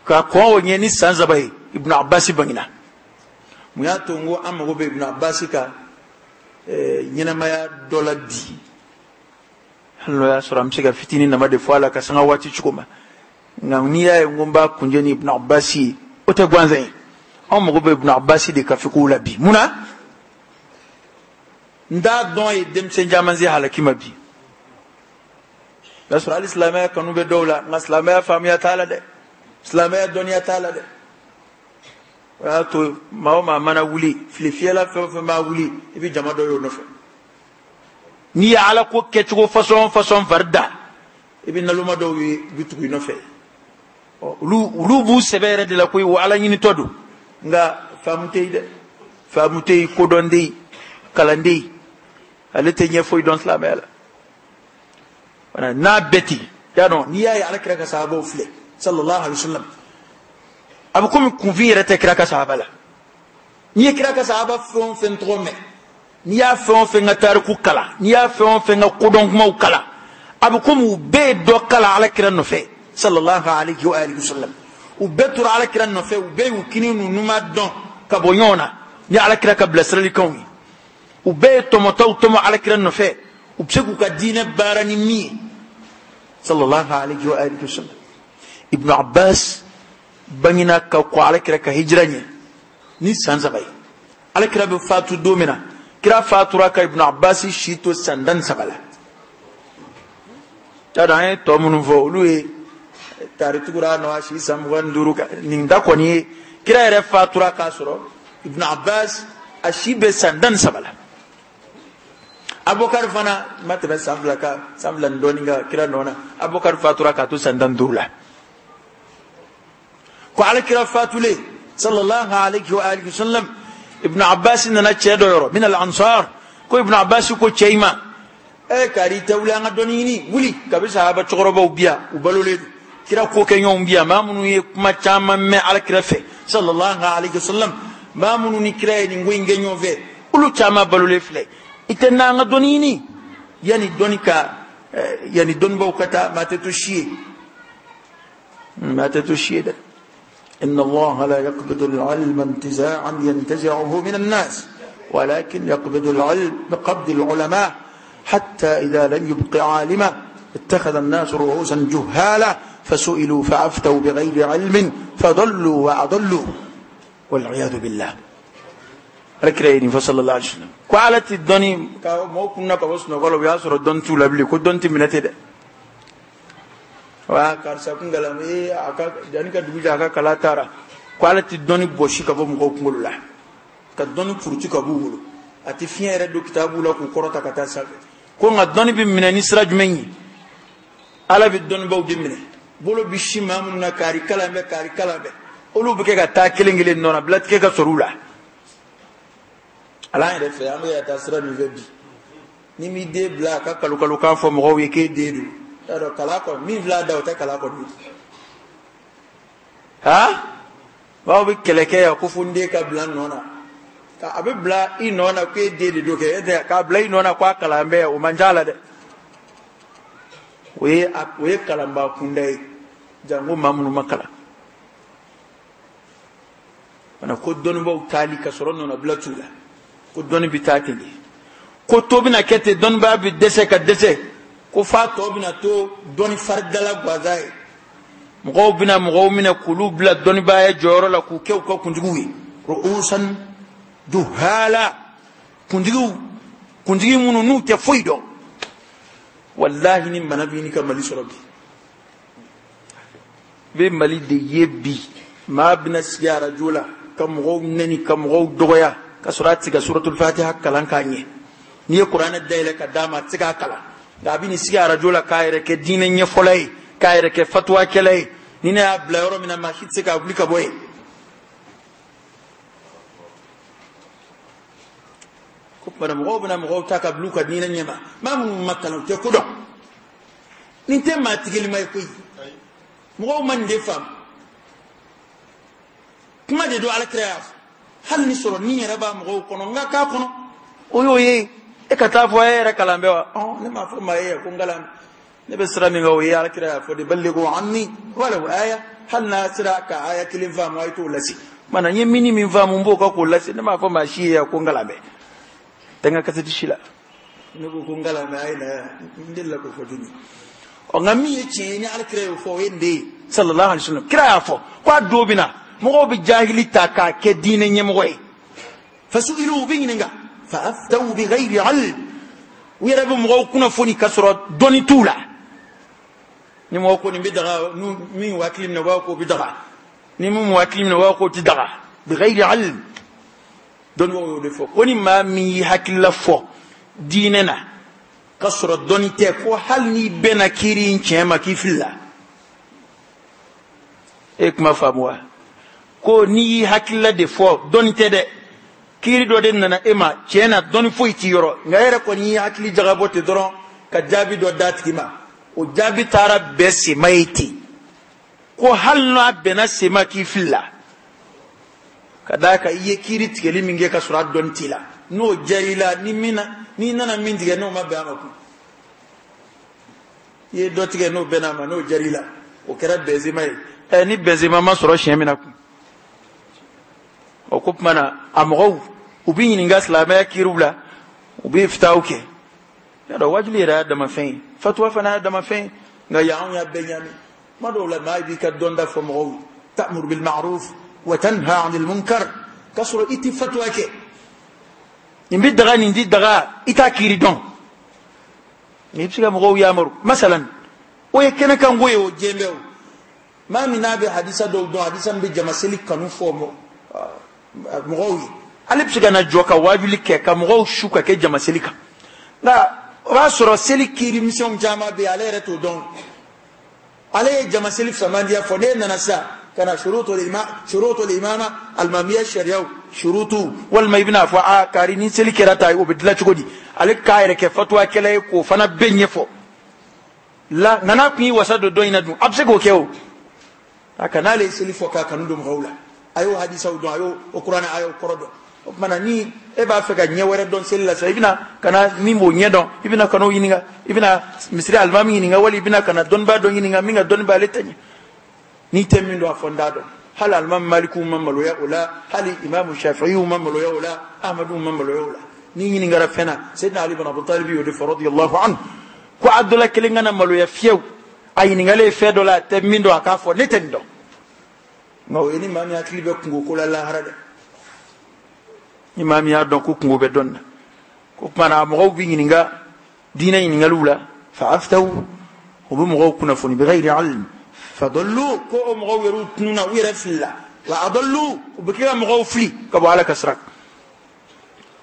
كقو ني سان زباي ابن عباس بنينا muyato ngo amago be ibn Abbas ka ɲɛnamaya dɔ la bi hali n'o y'a sɔrɔ an bɛ se ka fitinin nama de fɔ a la ka sanga waati cogo ma nka n'i y'a ye n ko n b'a kunjɛ ni ibn Abbas ye o tɛ gansan ye anw mago bɛ ibn Abbas de ka fikow la bi mun na n t'a dɔn ye denmisɛn caman se halaki ma bi o y'a sɔrɔ hali silamɛya kanu bɛ dɔw la nka silamɛya faamuya t'a la dɛ silamɛya dɔnniya t'a la dɛ o y'a to maa o maa mana wuli fili fiyɛla fɛn o fɛn b'a wuli i bɛ jama dɔ y'o nɔfɛ n'i ye ala ko kɛcogo fasɔn fasɔn fari da i bɛ naloma dɔw ye u bɛ tugu i nɔfɛ ɔ olu olu b'u sɛbɛ yɛrɛ de la koyi wa ala ɲinitɔ don nka faamu tɛ yen dɛ faamu tɛ yen kodɔn tɛ yen kalan tɛ yen ale tɛ ɲɛ foyi dɔn silamɛya la wala n'a bɛɛ ten y'a dɔn n'i y'a ye ala kira ka sahabaw filɛ sallallahu alaihi wa sallam a bɛ komi kunfin yɛrɛ tɛ kira ka sahaba la n'i ye kira ka sahaba fɛn o fɛn tɔgɔ mɛn n'i y'a fɛn o fɛn ka tariku kalan n'i y'a fɛn o fɛn ka kodɔn kumaw kalan a bɛ komi u bɛɛ ye dɔ kalan ala kira nɔfɛ sallallahu alaihi wa alihi wa sallam u bɛɛ tora ala kira nɔfɛ u bɛɛ y'u kini n'u numan dɔn ka bɔ ɲɔgɔn na ni ala kira ka bilasiralikanw ye u bɛɛ ye tɔmɔtaw tɔmɔ ala kira nɔfɛ u bɛ se k'u ka diinɛ baara ni min ye sallallahu alaihi wa alihi wa sallam Ibn Abbas bangina ka ko ala kira ka hijira ɲɛ ni san saba ye ala kira bɛ fatu don min na kira fatura ka Ibn Abbas si to san tan ni saba la y'a dɔn an ye tɔ minnu fɔ olu ye taritugura nɔ a si san mugan ni duuru nin da kɔni ye kira yɛrɛ fatura k'a sɔrɔ Ibn Abbas a si bɛ san tan ni saba la Abubakar fana ma tɛmɛ san fila kan san fila ni dɔɔnin kan kira nɔ na Abubakar fatura k'a to san tan ni duuru la ko ala kira fatulen sallallahu alaihi wa alihi wasallam Ibn Abbas nana cɛ dɔ yɔrɔ min al ansar ko Ibn Abbas ko cɛ in ma e kari tɛ wuli an ka dɔnni ɲini wuli kabi sahaba cɛkɔrɔbaw bi yan u balolen don kira ko kɛ ɲɔgɔn bi yan maa minnu ye kuma caman mɛn ala kira fɛ sallallahu alaihi wasallam maa minnu ni kira ye nin ko in kɛ ɲɔgɔn fɛ olu caman balolen filɛ i tɛ n'an ka dɔnni ɲini yanni dɔnni ka yanni dɔnnibaw ka taa maa tɛ to si ye maa tɛ to si ye dɛ. إن الله لا يقبض العلم انتزاعا ينتزعه من الناس ولكن يقبض العلم بقبض العلماء حتى إذا لم يبق عالما اتخذ الناس رؤوسا جهالا فسئلوا فأفتوا بغير علم فضلوا وأضلوا والعياذ بالله. ركريني فصلى الله عليه وسلم قالت الدني مو كنا كوسنا قالوا يا سر دون تولبلي كدون تمنتي wa karisa kun galam eh aka jani ka dugu aka kala taara ko ala ti dɔnni bɔsi ka bɔ mɔgɔw kunkolo la ka dɔnni furuti ka b'u bolo a ti fiɲɛ yɛrɛ don kitabu la k'u kɔrɔta ka taa sanfɛ ko nka dɔnni bɛ minɛ ni sira jumɛn ye ala bɛ dɔnnibaw de minɛ bolo bi si maa minnu na kari kalan bɛ kari kalan bɛ olu bɛ kɛ ka taa kelen kelen nɔ na bilatigɛ ka sɔrɔ u la ala yɛrɛ fɛ an bɛ ka taa sira min fɛ bi ni m'i den bila a ka kalo kalo kan fɔ mɔgɔw ye k'e den don y'a dɔn kala kɔni min filɛ a da o tɛ kala kɔni ha bawo bɛ kɛlɛ kɛ yan ko fo n den ka bila nɔ na a bɛ bila i nɔ na k'e den de don kɛ e tɛ k'a bila i nɔ na k'a kalan bɛ o man ca la dɛ o ye o ye kalanbaa kunda ye janko maa minnu ma kalan fana ko dɔnnibaw taali ka sɔrɔ nɔnabila t'u la ko dɔnni bɛ taa ten de ko to bɛna kɛ ten dɔnnibaa bɛ dɛsɛ ka dɛsɛ ko f'a tɔ bɛna to dɔnni faridala gansan ye Mɔgɔw bɛna mɔgɔw minɛ k'olu bila dɔnnibaaya jɔyɔrɔ la k'u kɛ u ka kuntigiw ye. Ru'usan juhala, kuntigiw kuntigi minnu n'u tɛ foyi dɔn. Wallahi ni bana b'i ni ka Mali sɔrɔ bi, i bɛ Mali de ye bi, maa bɛna sigi arajo la ka mɔgɔw nɛni ka mɔgɔw dɔgɔya ka sɔrɔ a tɛ se ka suratul fatiha kalan k'a ɲɛ. N'i ye kuranɛ dayɛlɛ ka d'a ma, a tɛ se k'a kalan, nka a bɛ n'i sigi arajo la k'a yɛrɛ kɛ diinɛ ɲɛfɔla ye, k'a yɛrɛ kɛ fatuwakɛla ye. Ni ne y'a bila yɔrɔ min na, maa si tɛ se k'a wuli ka bɔ yen. Ko tuma mɔgɔw bɛna mɔgɔw ta ka bila u ka diinɛ ɲɛma, maa minnu ma kalan u tɛ ko dɔn. Nin tɛ maa tigɛlima ye koyi, mɔgɔw ma nin de faamu. Kuma de don Ala kira y'a fɔ, hali ni sɔrɔ ni yɛrɛ b'a mɔgɔw kɔnɔ, n ka k'a kɔnɔ o y'o ye. E ka taa fɔ e yɛrɛ kalan bɛ wa? Ɔn, ne m'a fɔ maa ye ko n kalan, ne bɛ sira min kan o ye Ala kira y'a fɔ de, ballighu anni walaw aya. Hali n'a sera ka aya kelen faamu, a ye t'o lase. Mana n ye mini min faamu, n b'o kan k'o lase. Ne m'a fɔ maa si ye ko n kalan bɛ, tɛ n ka kasɛti si la. Ne ko ko n kalan bɛ, a ye na n delila k'o fɔ joli. Ɔ, nka min ye tiɲɛ ye ni Ala kira y'o fɔ, o ye nin de ye sallallahu alaihi wasallam. Kira y'a fɔ ko a don bɛ na, mɔgɔw bɛ jahili ta k'a kɛ diinɛ ɲɛmɔgɔ ye. Fasu'ilu, u bɛ ɲininka, fa aftaw bi ghayri ilm, u yɛrɛ bɛ mɔgɔw kunnafoni ka sɔrɔ dɔnni t'u la. Ni mɔgɔ ko nin bɛ daga, min hakili minɛ u b'a k'o bɛ daga, ni min m'u hakili minɛ u b'a k'o tɛ daga. Bi ghayri ilm, dɔnnibagaw y'o de fɔ ko ni maa min y'i hakilila fɔ diinɛ na ka sɔrɔ dɔnni tɛ, ko hali n'i bɛnna kiiri in tiɲɛ ma, k'i filila. E kuma faamu wa? Ko n'i y'i hakilila de fɔ, dɔnni tɛ dɛ, kiiri dɔ de nana e ma, tiɲɛ na dɔnni foyi t'i yɔrɔ, nka e yɛrɛ kɔni y'i hakili jagabɔ ten dɔrɔn ka jaabi dɔ d'a tigi ma, o jaabi taara bɛn sema ye ten, ko hali n'a bɛnna sema k'i filila, ka d'a kan i ye kiiri tigɛli min kɛ ka sɔrɔ a dɔnni t'i la, n'o diyara i la, ni min na n'i nana min tigɛ n'o ma bɛn a ma kun, i ye dɔ tigɛ n'o bɛnna a ma, n'o diyara i la, o kɛra bɛnzema ye. Ɛ, ni bɛnzema ma sɔrɔ siɲɛ min na kun, o ko tuma na a mɔgɔw u bɛ ɲininka silamɛya kiiriw la, u bɛ fitaw kɛ. Y'a dɔn wajuli yɛrɛ y'a dama fɛn ye, fatuwa fana y'a dama fɛn ye, nka yan anw y'a bɛɛ ɲaami. Kuma dɔw la maa b'i ka dɔnta fɔ mɔgɔw ye, ta'muru bil ma'ruf wa tanha 'anil munkar, k'a sɔrɔ i tɛ fatuwa kɛ. Nin bɛ daga, nin tɛ daga, i t'a kiiri dɔn, nka i bɛ se ka mɔgɔw yamaru. Masalan, o ye kɛnɛkanko ye, o diɲɛ bɛɛ o. Maa min n'a bɛ hadisa dɔw dɔn, hadisa min bɛ jama seli kanu fɔ mɔgɔw ye, ale bɛ se ka na jɔ ka wajuli kɛ ka mɔgɔw su ka kɛ jama seli kan. Nka o b'a sɔrɔ seli kiiri misɛnw caman bɛ yen, ale yɛrɛ t'o dɔn. Ale ye jama seli fisamandiya fɔ, n'e nana sisan ka na shurutul shurutul imama alimamiya sariyaw shurutu, walima i bɛna fɔ a kari ni seli kɛra ta o bɛ dilan cogo di, ale k'a yɛrɛ kɛ fatuwakɛla ye k'o fana bɛɛ ɲɛfɔ. La nka n'a kun y'i wasa don dɔ in na dun, a bɛ se k'o kɛ o. A ka n'ale ye seli fɔ k'a kanu don mɔgɔw la, a y'o hadisaw dɔn, a y'o o kuranɛ a y'o kɔrɔ dɔn. O tuma na ni e b'a fɛ ka ɲɛ wɛrɛ dɔn seli la sisan, i bɛna ka na min b'o ɲɛ dɔn, i bɛna ka n'o ɲininka, i bɛna misiri alimami ɲininka, wali i bɛna ka na dɔnnibaa dɔ ɲininka min ka dɔnni b'ale ta ɲɛ. N'i tɛ min dɔn, a fɔ n t'a dɔn. Hali alimami Malikiw ma maloya o la, hali imamu Shafi'iw ma maloya o la, Ahmadu ma maloya o la. N'i ɲininkara fɛn na, Seydina Ali bin Abi Talib y'o de fɔ radiyallahu anhu, ko a dɔ la kelen kana maloya fiyewu, a ɲininkalen fɛn dɔ la a tɛ min dɔn, a k'a fɔ ne tɛ nin dɔn. Nka o ye ni maa min hakili bɛ kungo ko la lahara dɛ, ni maa min y'a dɔn ko kungo bɛ dɔn na, ko tuma na mɔgɔw bɛ ɲininka diinɛ ɲininkaliw la, fa aftaw, u bɛ mɔgɔw kunnafoni bi ghayri ilm, fadallu, ko o mɔgɔw yɛrɛ tununa, u yɛrɛ filila, wa adallu, u bɛ kɛ ka mɔgɔw fili ka bɔ Ala ka sira kan.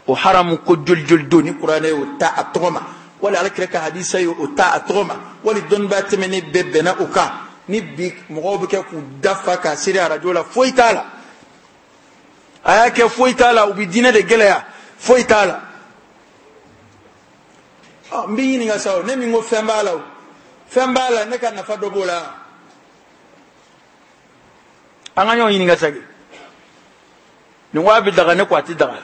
O haramu ko joli joli don ni kuranɛ y'o ta a tɔgɔ ma, wali Ala kira ka hadisa ye o ta a tɔgɔ ma, wali dɔnnibaa tɛmɛnen bɛɛ bɛnna o kan. Ni bi mɔgɔw bɛ kɛ k'u dafa k'a seri arajo la, foyi t'a la, a y'a kɛ foyi t'a la, u bɛ diinɛ de gɛlɛya, foyi t'a la. Ɔ, n b'i ɲininka sa o, ne min ko fɛn b'a la o, fɛn b'a la, ne ka nafa dɔ b'o la. An ka ɲɔgɔn ɲininka sa kɛ, nin ko a bɛ daga, ne ko a tɛ daga,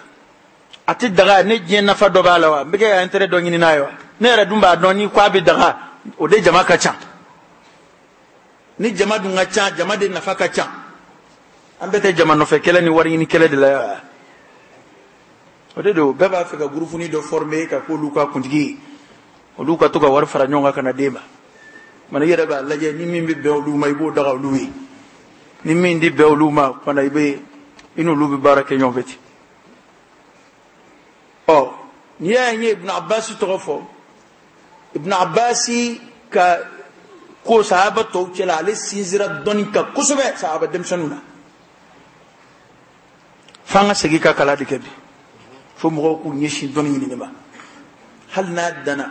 a tɛ daga, ne diɲɛ nafa dɔ b'a la wa, n bɛ kɛ ka intérêt dɔ ɲini n'a ye wa, ne yɛrɛ dun b'a dɔn ni ko a bɛ daga, o de jama ka ca. Ni jama dun ka ca, jama de nafa ka ca. An bɛɛ tɛ jama nɔfɛ kɛlɛ ni wari ɲini kɛlɛ de la yan. O de don bɛɛ b'a fɛ ka gurufuni dɔ former ka k'olu ka kuntigi ye, olu ka to ka wari fara ɲɔgɔn kan ka na d'e ma. Mana i yɛrɛ b'a lajɛ ni min bɛ bɛn olu ma i b'o daga olu ye ni min di bɛn olu ma fana i bɛ i n'olu bɛ baara kɛ ɲɔgɔn fɛ ten. Ɔ n'i y'a ye n ye Ibn Abbas tɔgɔ fɔ, Ibn Abbas ka ko sahaba tɔw cɛla ale sinsinra dɔnni kan kosɛbɛ sahaba denmisɛnninw na. F'an ka segin ka kalan de kɛ bi fo mɔgɔw k'u ɲɛsin dɔnni ɲinini ma hali n'a danna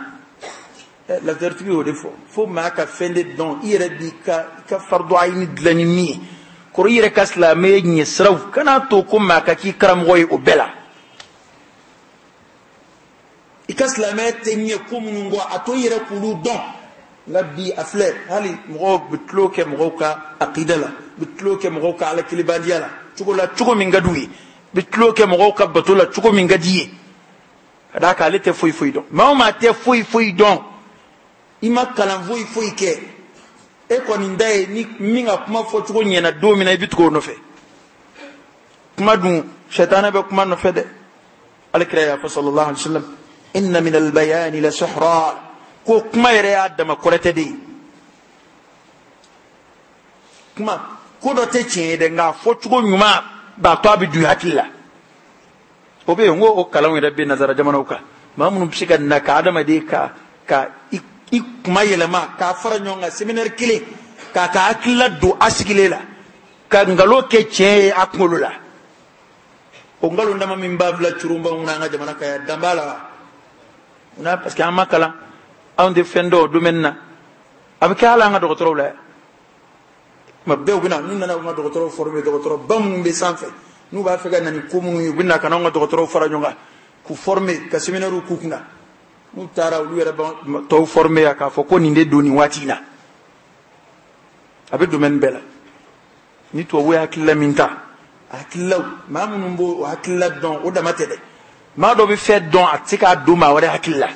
lafiyaritigi y'o de fɔ fo maa ka fɛn de dɔn i yɛrɛ b'i ka i ka fardu ayini dilan ni min ye kɔrɔ i yɛrɛ ka silamɛya ɲɛsiraw kan'a to ko maa ka k'i karamɔgɔ ye o bɛɛ la. I ka silamɛya tɛ ɲɛ ko minnu kɔ a to i yɛrɛ k'olu dɔn. Nka bi a filɛ hali mɔgɔw bɛ tulon kɛ mɔgɔw ka akida la, bɛ tulon kɛ mɔgɔw ka ala kelebaliya la cogo la cogo min ka d'u ye, bɛ tulon kɛ mɔgɔw ka bato la cogo min ka d'i ye. Ka d'a kan ale tɛ foyi foyi dɔn. Maa o maa tɛ foyi foyi dɔn, i ma kalan foyi foyi kɛ, e kɔni da ye ni min ka kuma fɔcogo ɲɛna don min na i bɛ tugu o nɔfɛ. Kuma dun sɛtanɛ bɛ kuma nɔfɛ dɛ. Alakira y'a fɔ sallallahu alaihi wa sallam, inna min albayani la sihra, ko kuma yɛrɛ y'a dama kɔrɔtɛ de ye. Kuma ko dɔ tɛ tiɲɛ ye dɛ, nka fɔcogo ɲuman b'a to a bɛ don i hakili la. O bɛ yen, n ko o kalanw yɛrɛ bɛ nazara jamanaw kan, maa minnu bɛ se ka na ka adamaden ka ka i i kuma yɛlɛma k'a fara ɲɔgɔn kan séminaire kelen k'a ka hakilila don a sigilen la ka nkalon kɛ tiɲɛ ye a kunkolo la. O nkalon dama min b'a bila curunba mun na an ka jamana kan yan, dan b'a la wa? Munna? Parce que an ma kalan, anw tɛ fɛn dɔn o domaine na. A bɛ kɛ hali an ka dɔgɔtɔrɔw la yan. Tuma bɛɛ u bɛ na, n'u nana u ka dɔgɔtɔrɔw former, dɔgɔtɔrɔba minnu bɛ sanfɛ n'u b'a fɛ ka na ni ko minnu ye, u bɛ na ka n'anw ka dɔgɔtɔrɔw fara ɲɔgɔn kan k'u former ka séminaire k'u kunna. N'u taara olu yɛrɛ b'an tɔw former yan k'a fɔ ko nin de don nin waati in na. A bɛ domaine bɛɛ la. Ni tubabu ye hakilila min ta, hakililaw maa minnu b'o hakilila dɔn o dama tɛ dɛ. Maa dɔ bɛ fɛn dɔn a tɛ se k'a don maa wɛrɛ hakili la.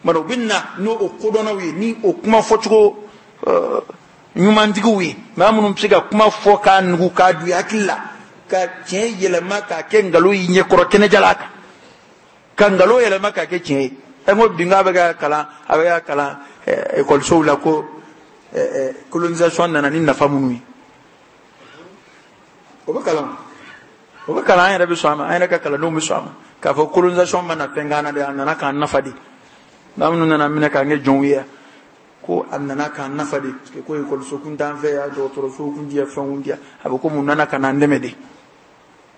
Mara u bɛ na n'o kodɔnnaw ye ni o kuma fɔcogo ɲumantigiw ye, maa minnu bɛ se ka kuma fɔ k'a nugu k'a don i hakili la ka tiɲɛ yɛlɛma k'a kɛ nkalon y'i ɲɛkɔrɔ kɛnɛjalan kan, ka nkalon yɛlɛma k'a kɛ tiɲɛ ye. Ɛ n ko bi n k'a bɛ ka kalan, a bɛ ka kalan ekɔlisow la ko colonisation nana ni nafa minnu ye. O bɛ kalan, o bɛ kalan, an yɛrɛ bɛ sɔn a ma, an yɛrɛ ka kalandenw bɛ sɔn a ma k'a fɔ colonisation ma na fɛn k'an na dɛ, a nana k'an nafa de. Maa minnu nana minɛ k'an kɛ jɔnw ye, ko a nana k'an nafa de, parce que ko ekɔliso kun t'an fɛ yan, dɔgɔtɔrɔso kun ti yan, fɛn kun ti yan, a bɛ komi u nana ka n'an dɛmɛ de.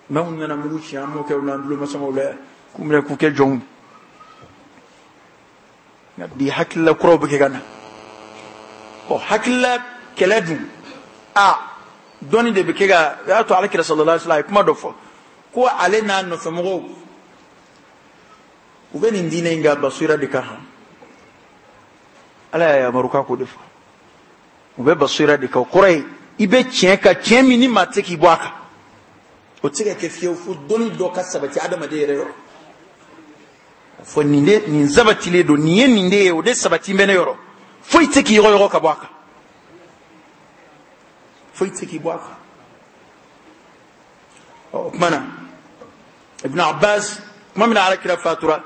Maa minnu nana mugu ci an mɔkɛw n'an tulomasamaw la yan, k'u minɛ k'u kɛ jɔnw. Nka bi hakilila kuraw bɛ kɛ ka na. Ɔ hakilila kɛlɛ dun, a dɔnni de bɛ kɛ ka, o y'a to Alakira sallallahu alaihi wa sallam a ye kuma dɔ fɔ ko ale n'a nɔfɛmɔgɔw u bɛ nin diinɛ in kan basira de kan. Ala y'a yamaru k'a k'o de fɔ. U bɛ basira de kan, o kɔrɔ ye i bɛ tiɲɛ kan, tiɲɛ min ni maa tɛ k'i bɔ a kan. O tɛ se ka kɛ fiyewu fo dɔnni dɔ ka sabati adamaden yɛrɛ yɔrɔ. Fɔ nin de nin sabatilen don, nin ye nin de ye, o de sabati bɛ ne yɔrɔ. Foyi tɛ k'i yɔgɔyɔgɔ ka bɔ a kan. Foyi tɛ k'i bɔ a kan. Ɔ o tuma na Ibn Abbas tuma min na Alakira fatura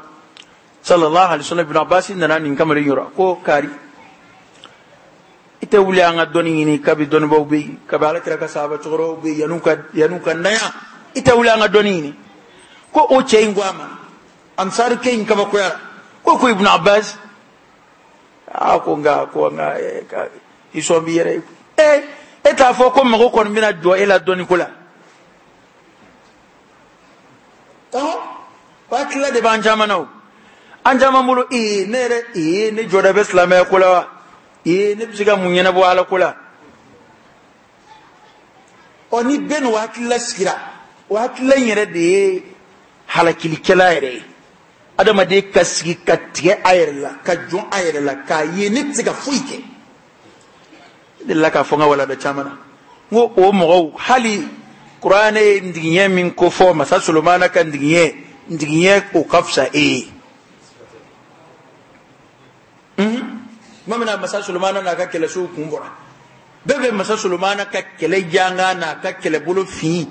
sallallahu alaihi wa sallam, Ibn Abbas nana nin kamalen yɔrɔ ko kari i tɛ wuli an ka dɔnni ɲini, kabi dɔnnibaw bɛ yen, kabi Alakira ka sahaba cɛkɔrɔbaw bɛ yen, yan'u ka yan'u ka na yan, i tɛ wuli an ka dɔnni ɲini. Ko o cɛ in ko a ma, ansarikɛ in kabakoyara ko ko Ibn Abbas, a ko nka ko nka i sɔn b'i yɛrɛ ye, ee e t'a fɔ ko mago kɔni bɛna jɔ e la dɔnni ko la. Ɔhɔn, o hakilila de b'an caman na o. An caman bolo ee ne yɛrɛ ee ne jɔda bɛ silamɛya ko la wa, ee ne bɛ se ka mun ɲɛnabɔ Ala ko la. Ɔ ni bɛɛ n'o hakilila sigira, o hakilila in yɛrɛ de ye halakilikɛla yɛrɛ ye. Adamaden ka sigi ka tigɛ a yɛrɛ la, ka jɔn a yɛrɛ la, k'a ye ne tɛ se ka foyi kɛ. Ne delila k'a fɔ n ka walanda caman na, n ko o mɔgɔw hali kuranɛ ye ntigiɲɛ min ko fɔ masa Solomana ka ntigiɲɛ, ntigiɲɛ o ka fisa e ye. Tuma min na masa Solomana n'a ka kɛlɛsow kun bɔra, bɛɛ bɛ masa Solomana ka kɛlɛ janga n'a ka kɛlɛbolo fin,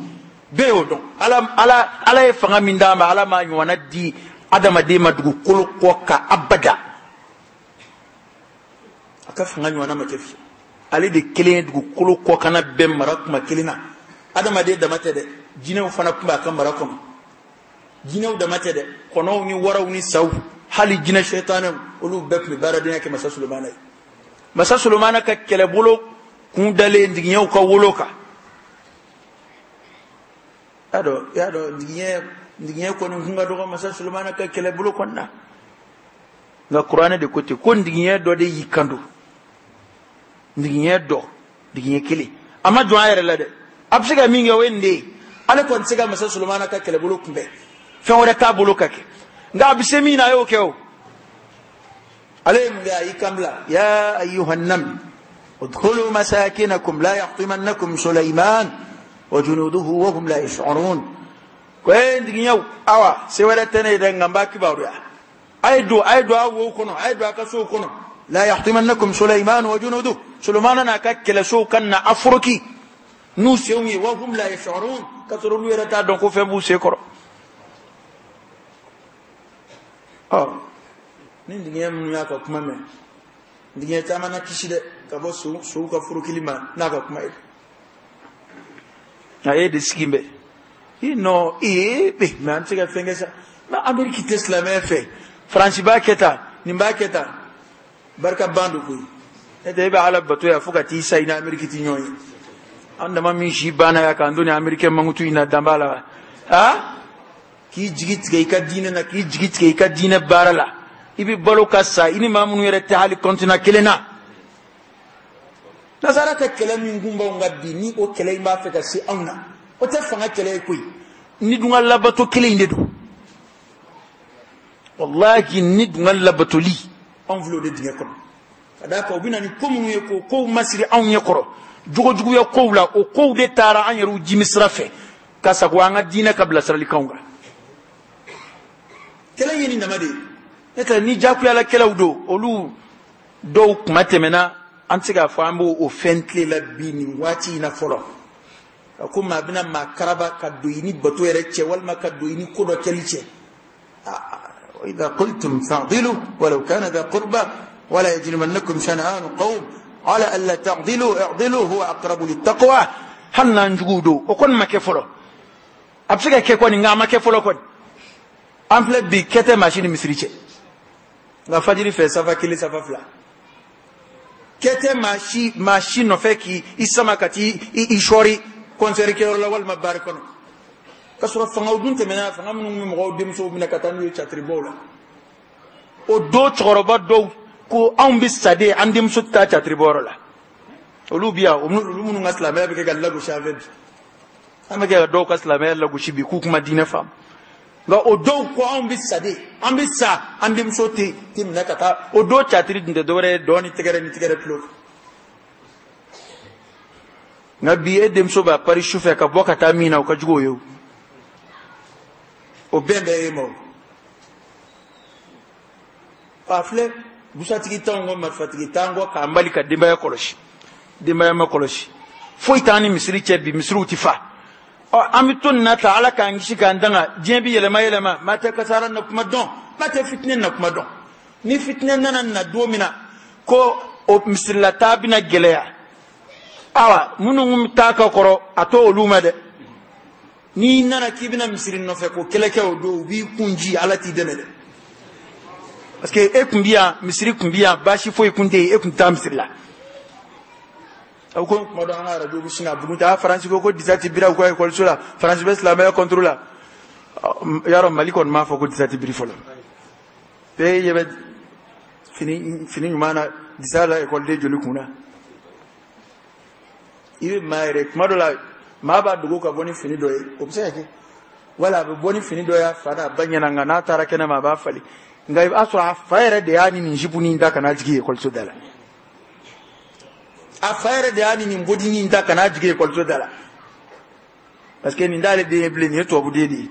bɛɛ y'o dɔn. Ala ala Ala ye fanga min d'a ma, Ala m'a ɲɔgɔnna di adamaden ma dugukolo kɔ kan abada. A A ka fanga ɲɔgɔnna ma kɛ fiyewu. Ale de kelen ye dugukolo kɔkanna bɛɛ mara kuma kelen na. Adamaden dama tɛ dɛ, jinɛw fana tun b'a ka mara kɔnɔ. Jinɛw dama tɛ dɛ, kɔnɔw ni waraw ni saw, hali jinɛ sɛtanɛw, olu bɛɛ tun bɛ baaradenya kɛ Masa Solomana ye. Masa Solomana ka kɛlɛbolo kun dalen digiɲɛw ka wolo kan. Y'a dɔn, y'a dɔn, digiɲɛ digiɲɛ kɔni kun ka dɔgɔ Masa Solomana ka kɛlɛbolo kɔni na. Nka kuranɛ de ko ten ko digiɲɛ dɔ de y'i kan don. Digiɲɛ dɔ, digiɲɛ kelen. A ma jɔn a yɛrɛ la dɛ. A bɛ se ka min kɛ o ye nin de ye. Ale kɔni tɛ se ka Masa Solomana ka kɛlɛbolo kunbɛn. Fɛn wɛrɛ t'a bolo ka kɛ. Nka a bɛ se min na a y'o kɛ o. Ale ye mun kɛ? A y'i kan bila. Ya ayyuhan naml udkhulu masakinakum la yahtimannakum Sulaiman wa junuduhu wa hum la yash'urun. Ko ee digiɲɛw, awa se wɛrɛ tɛ ne ye dɛ, nka n b'a kibaruya. A ye don, a ye don a wo kɔnɔ, a ye don a ka sow kɔnɔ. La yahtimannakum Sulaiman wa junuduhu. Sulaiman n'a ka kɛlɛsow ka na aforoki n'u senw ye, wa hum la yash'urun, ka sɔrɔ olu yɛrɛ t'a dɔn ko fɛn b'u sen kɔrɔ. Ɔ ni digiɲɛ minnu y'a ka kuma mɛn, digiɲɛ caman na kisi dɛ ka bɔ sow sow ka forokili ma n'a ka kuma ye. Nka e de sigi bɛ i nɔ ee bɛ mɛ an tɛ se ka fɛn kɛ sa. Mɛ Ameriki tɛ silamɛya fɛ, Faransi b'a kɛ tan, nin b'a kɛ tan, barika ban don koyi. Ne tɛ e bɛ Ala bato yan fo ka t'i sa i ni Ameriki ti ɲɔgɔn ye. An dama min si banna yan k'an to ni Amerikɛn mankutu in na dan b'a la wa? Ha? K'i jigi tigɛ i ka diinɛ na, k'i jigi tigɛ i ka diinɛ baara la. I bɛ balo ka sa i ni maa minnu yɛrɛ tɛ hali kɔntina kelen na. Nasara ka kɛlɛ min kun b'anw kan bi, ni o kɛlɛ in b'a fɛ ka se anw na, o tɛ fanga kɛlɛ ye koyi. Ni dun ka labato kelen in de don. Wallahi ni dun ka labatoli anw filɛ o de dingɛ kɔnɔ. Ka d'a kan u bɛ na ni ko minnu ye k'o kow masiri anw ɲɛ kɔrɔ, jogojuguya kow la, o kow de taara an yɛrɛw jimi sira fɛ ka sago an ka diinɛ ka bilasiralikanw kan. Kɛlɛ ye nin dama de ye. Ne tɛ ni jakuyala kɛlɛw don, olu dɔw kuma tɛmɛna, an tɛ se k'a fɔ an b'o o fɛn tile la bi nin waati in na fɔlɔ. Ka ko maa bɛna maa karaba ka don i ni bato yɛrɛ cɛ, walima ka don i ni ko dɔ kɛli cɛ. إذا قلتم فاعدلوا ولو كان ذا قربى ولا يجرمنكم شنآن قوم على ألا تعدلوا اعدلوا هو أقرب للتقوى. Hali n'an juguw don, o kɔni ma kɛ fɔlɔ. A bɛ se ka kɛ kɔni, nka a ma kɛ fɔlɔ kɔni. An filɛ bi kɛ tɛ maa si ni misiri cɛ. Nka fajiri fɛ safa kelen safa fila. Kɛ tɛ maa si maa si nɔfɛ k'i i sama ka t'i i sɔɔri kɔnsɛri kɛyɔrɔ la walima baari kɔnɔ. Ka sɔrɔ fangaw dun tɛmɛna, fanga minnu bɛ mɔgɔw denmusow minɛ ka taa n'u ye catiribɔw la. O don cɛkɔrɔba dɔw ko anw bɛ sa de, an denmuso tɛ taa catiribɔyɔrɔ la. Olu bi yan, olu minnu ka silamɛya bɛ kɛ ka lagosi an fɛ bi. An bɛ kɛ ka dɔw ka silamɛya lagosi bi k'u kuma diinɛ faamu. Nka o dɔw ko anw bɛ sa de, an bɛ sa, an denmuso tɛ tɛ minɛ ka taa. O don catiri dun tɛ dɔwɛrɛ ye, dɔn ni tɛgɛrɛ ni tɛgɛrɛ tulo. Nka bi e denmuso b'a pari su fɛ ka bɔ ka taa min na, o ka jugu o ye o. O bɛn bɛɛ ye ma o. A filɛ busatigi t'anw kɔ, marifatigi t'an kɔ k'an bali ka denbaya kɔlɔsi. Denbaya ma kɔlɔsi. Foyi t'an ni misiri cɛ bi, misiriw ti fa. Ɔ an bɛ to nin na tan, Ala k'an kisi k'an danga, diɲɛ bi yɛlɛma yɛlɛma, maa tɛ kasara na kuma dɔn, maa tɛ fitinɛ na kuma dɔn. Ni fitinɛ nana na don min na ko o misirilataa bɛna gɛlɛya, awa minnu t'a ka kɔrɔ a t'o olu ma dɛ. N'i nana k'i bɛna misiri nɔfɛ ko kɛlɛ kɛ o don, u b'i kun ji, Ala t'i dɛmɛ dɛ. Parce que e kun bi yan, misiri kun bi yan, baasi foyi kun tɛ yen, e kun tɛ taa misiri la. Aw ko kuma dɔ an ka arajo bɛ sin ka bugun ta, Faransi ko ko disa ti biri u ka ekɔliso la, Faransi bɛ silamɛya contre la. Yarɔ Mali kɔni m'a fɔ ko disa ti biri fɔlɔ. Bɛɛ ɲɛ bɛ fini fini ɲuman na disa la ekɔliden joli kun na. I bɛ maa yɛrɛ kuma dɔ la, maa b'a dogo ka bɔ ni fini dɔ ye, o bɛ se ka kɛ. Wala a bɛ bɔ ni fini dɔ ye a fa n'a ba ɲɛna, nka n'a taara kɛnɛma a b'a falen. Nka i b'a sɔrɔ a fa yɛrɛ de y'a ni nin jipunin da ka n'a jigin ekɔliso da la. A fa yɛrɛ de y'a ni nin bodinin da ka n'a jigin ekɔliso da la. Parce que nin t'ale den ye bilen, nin ye tubabuden de ye.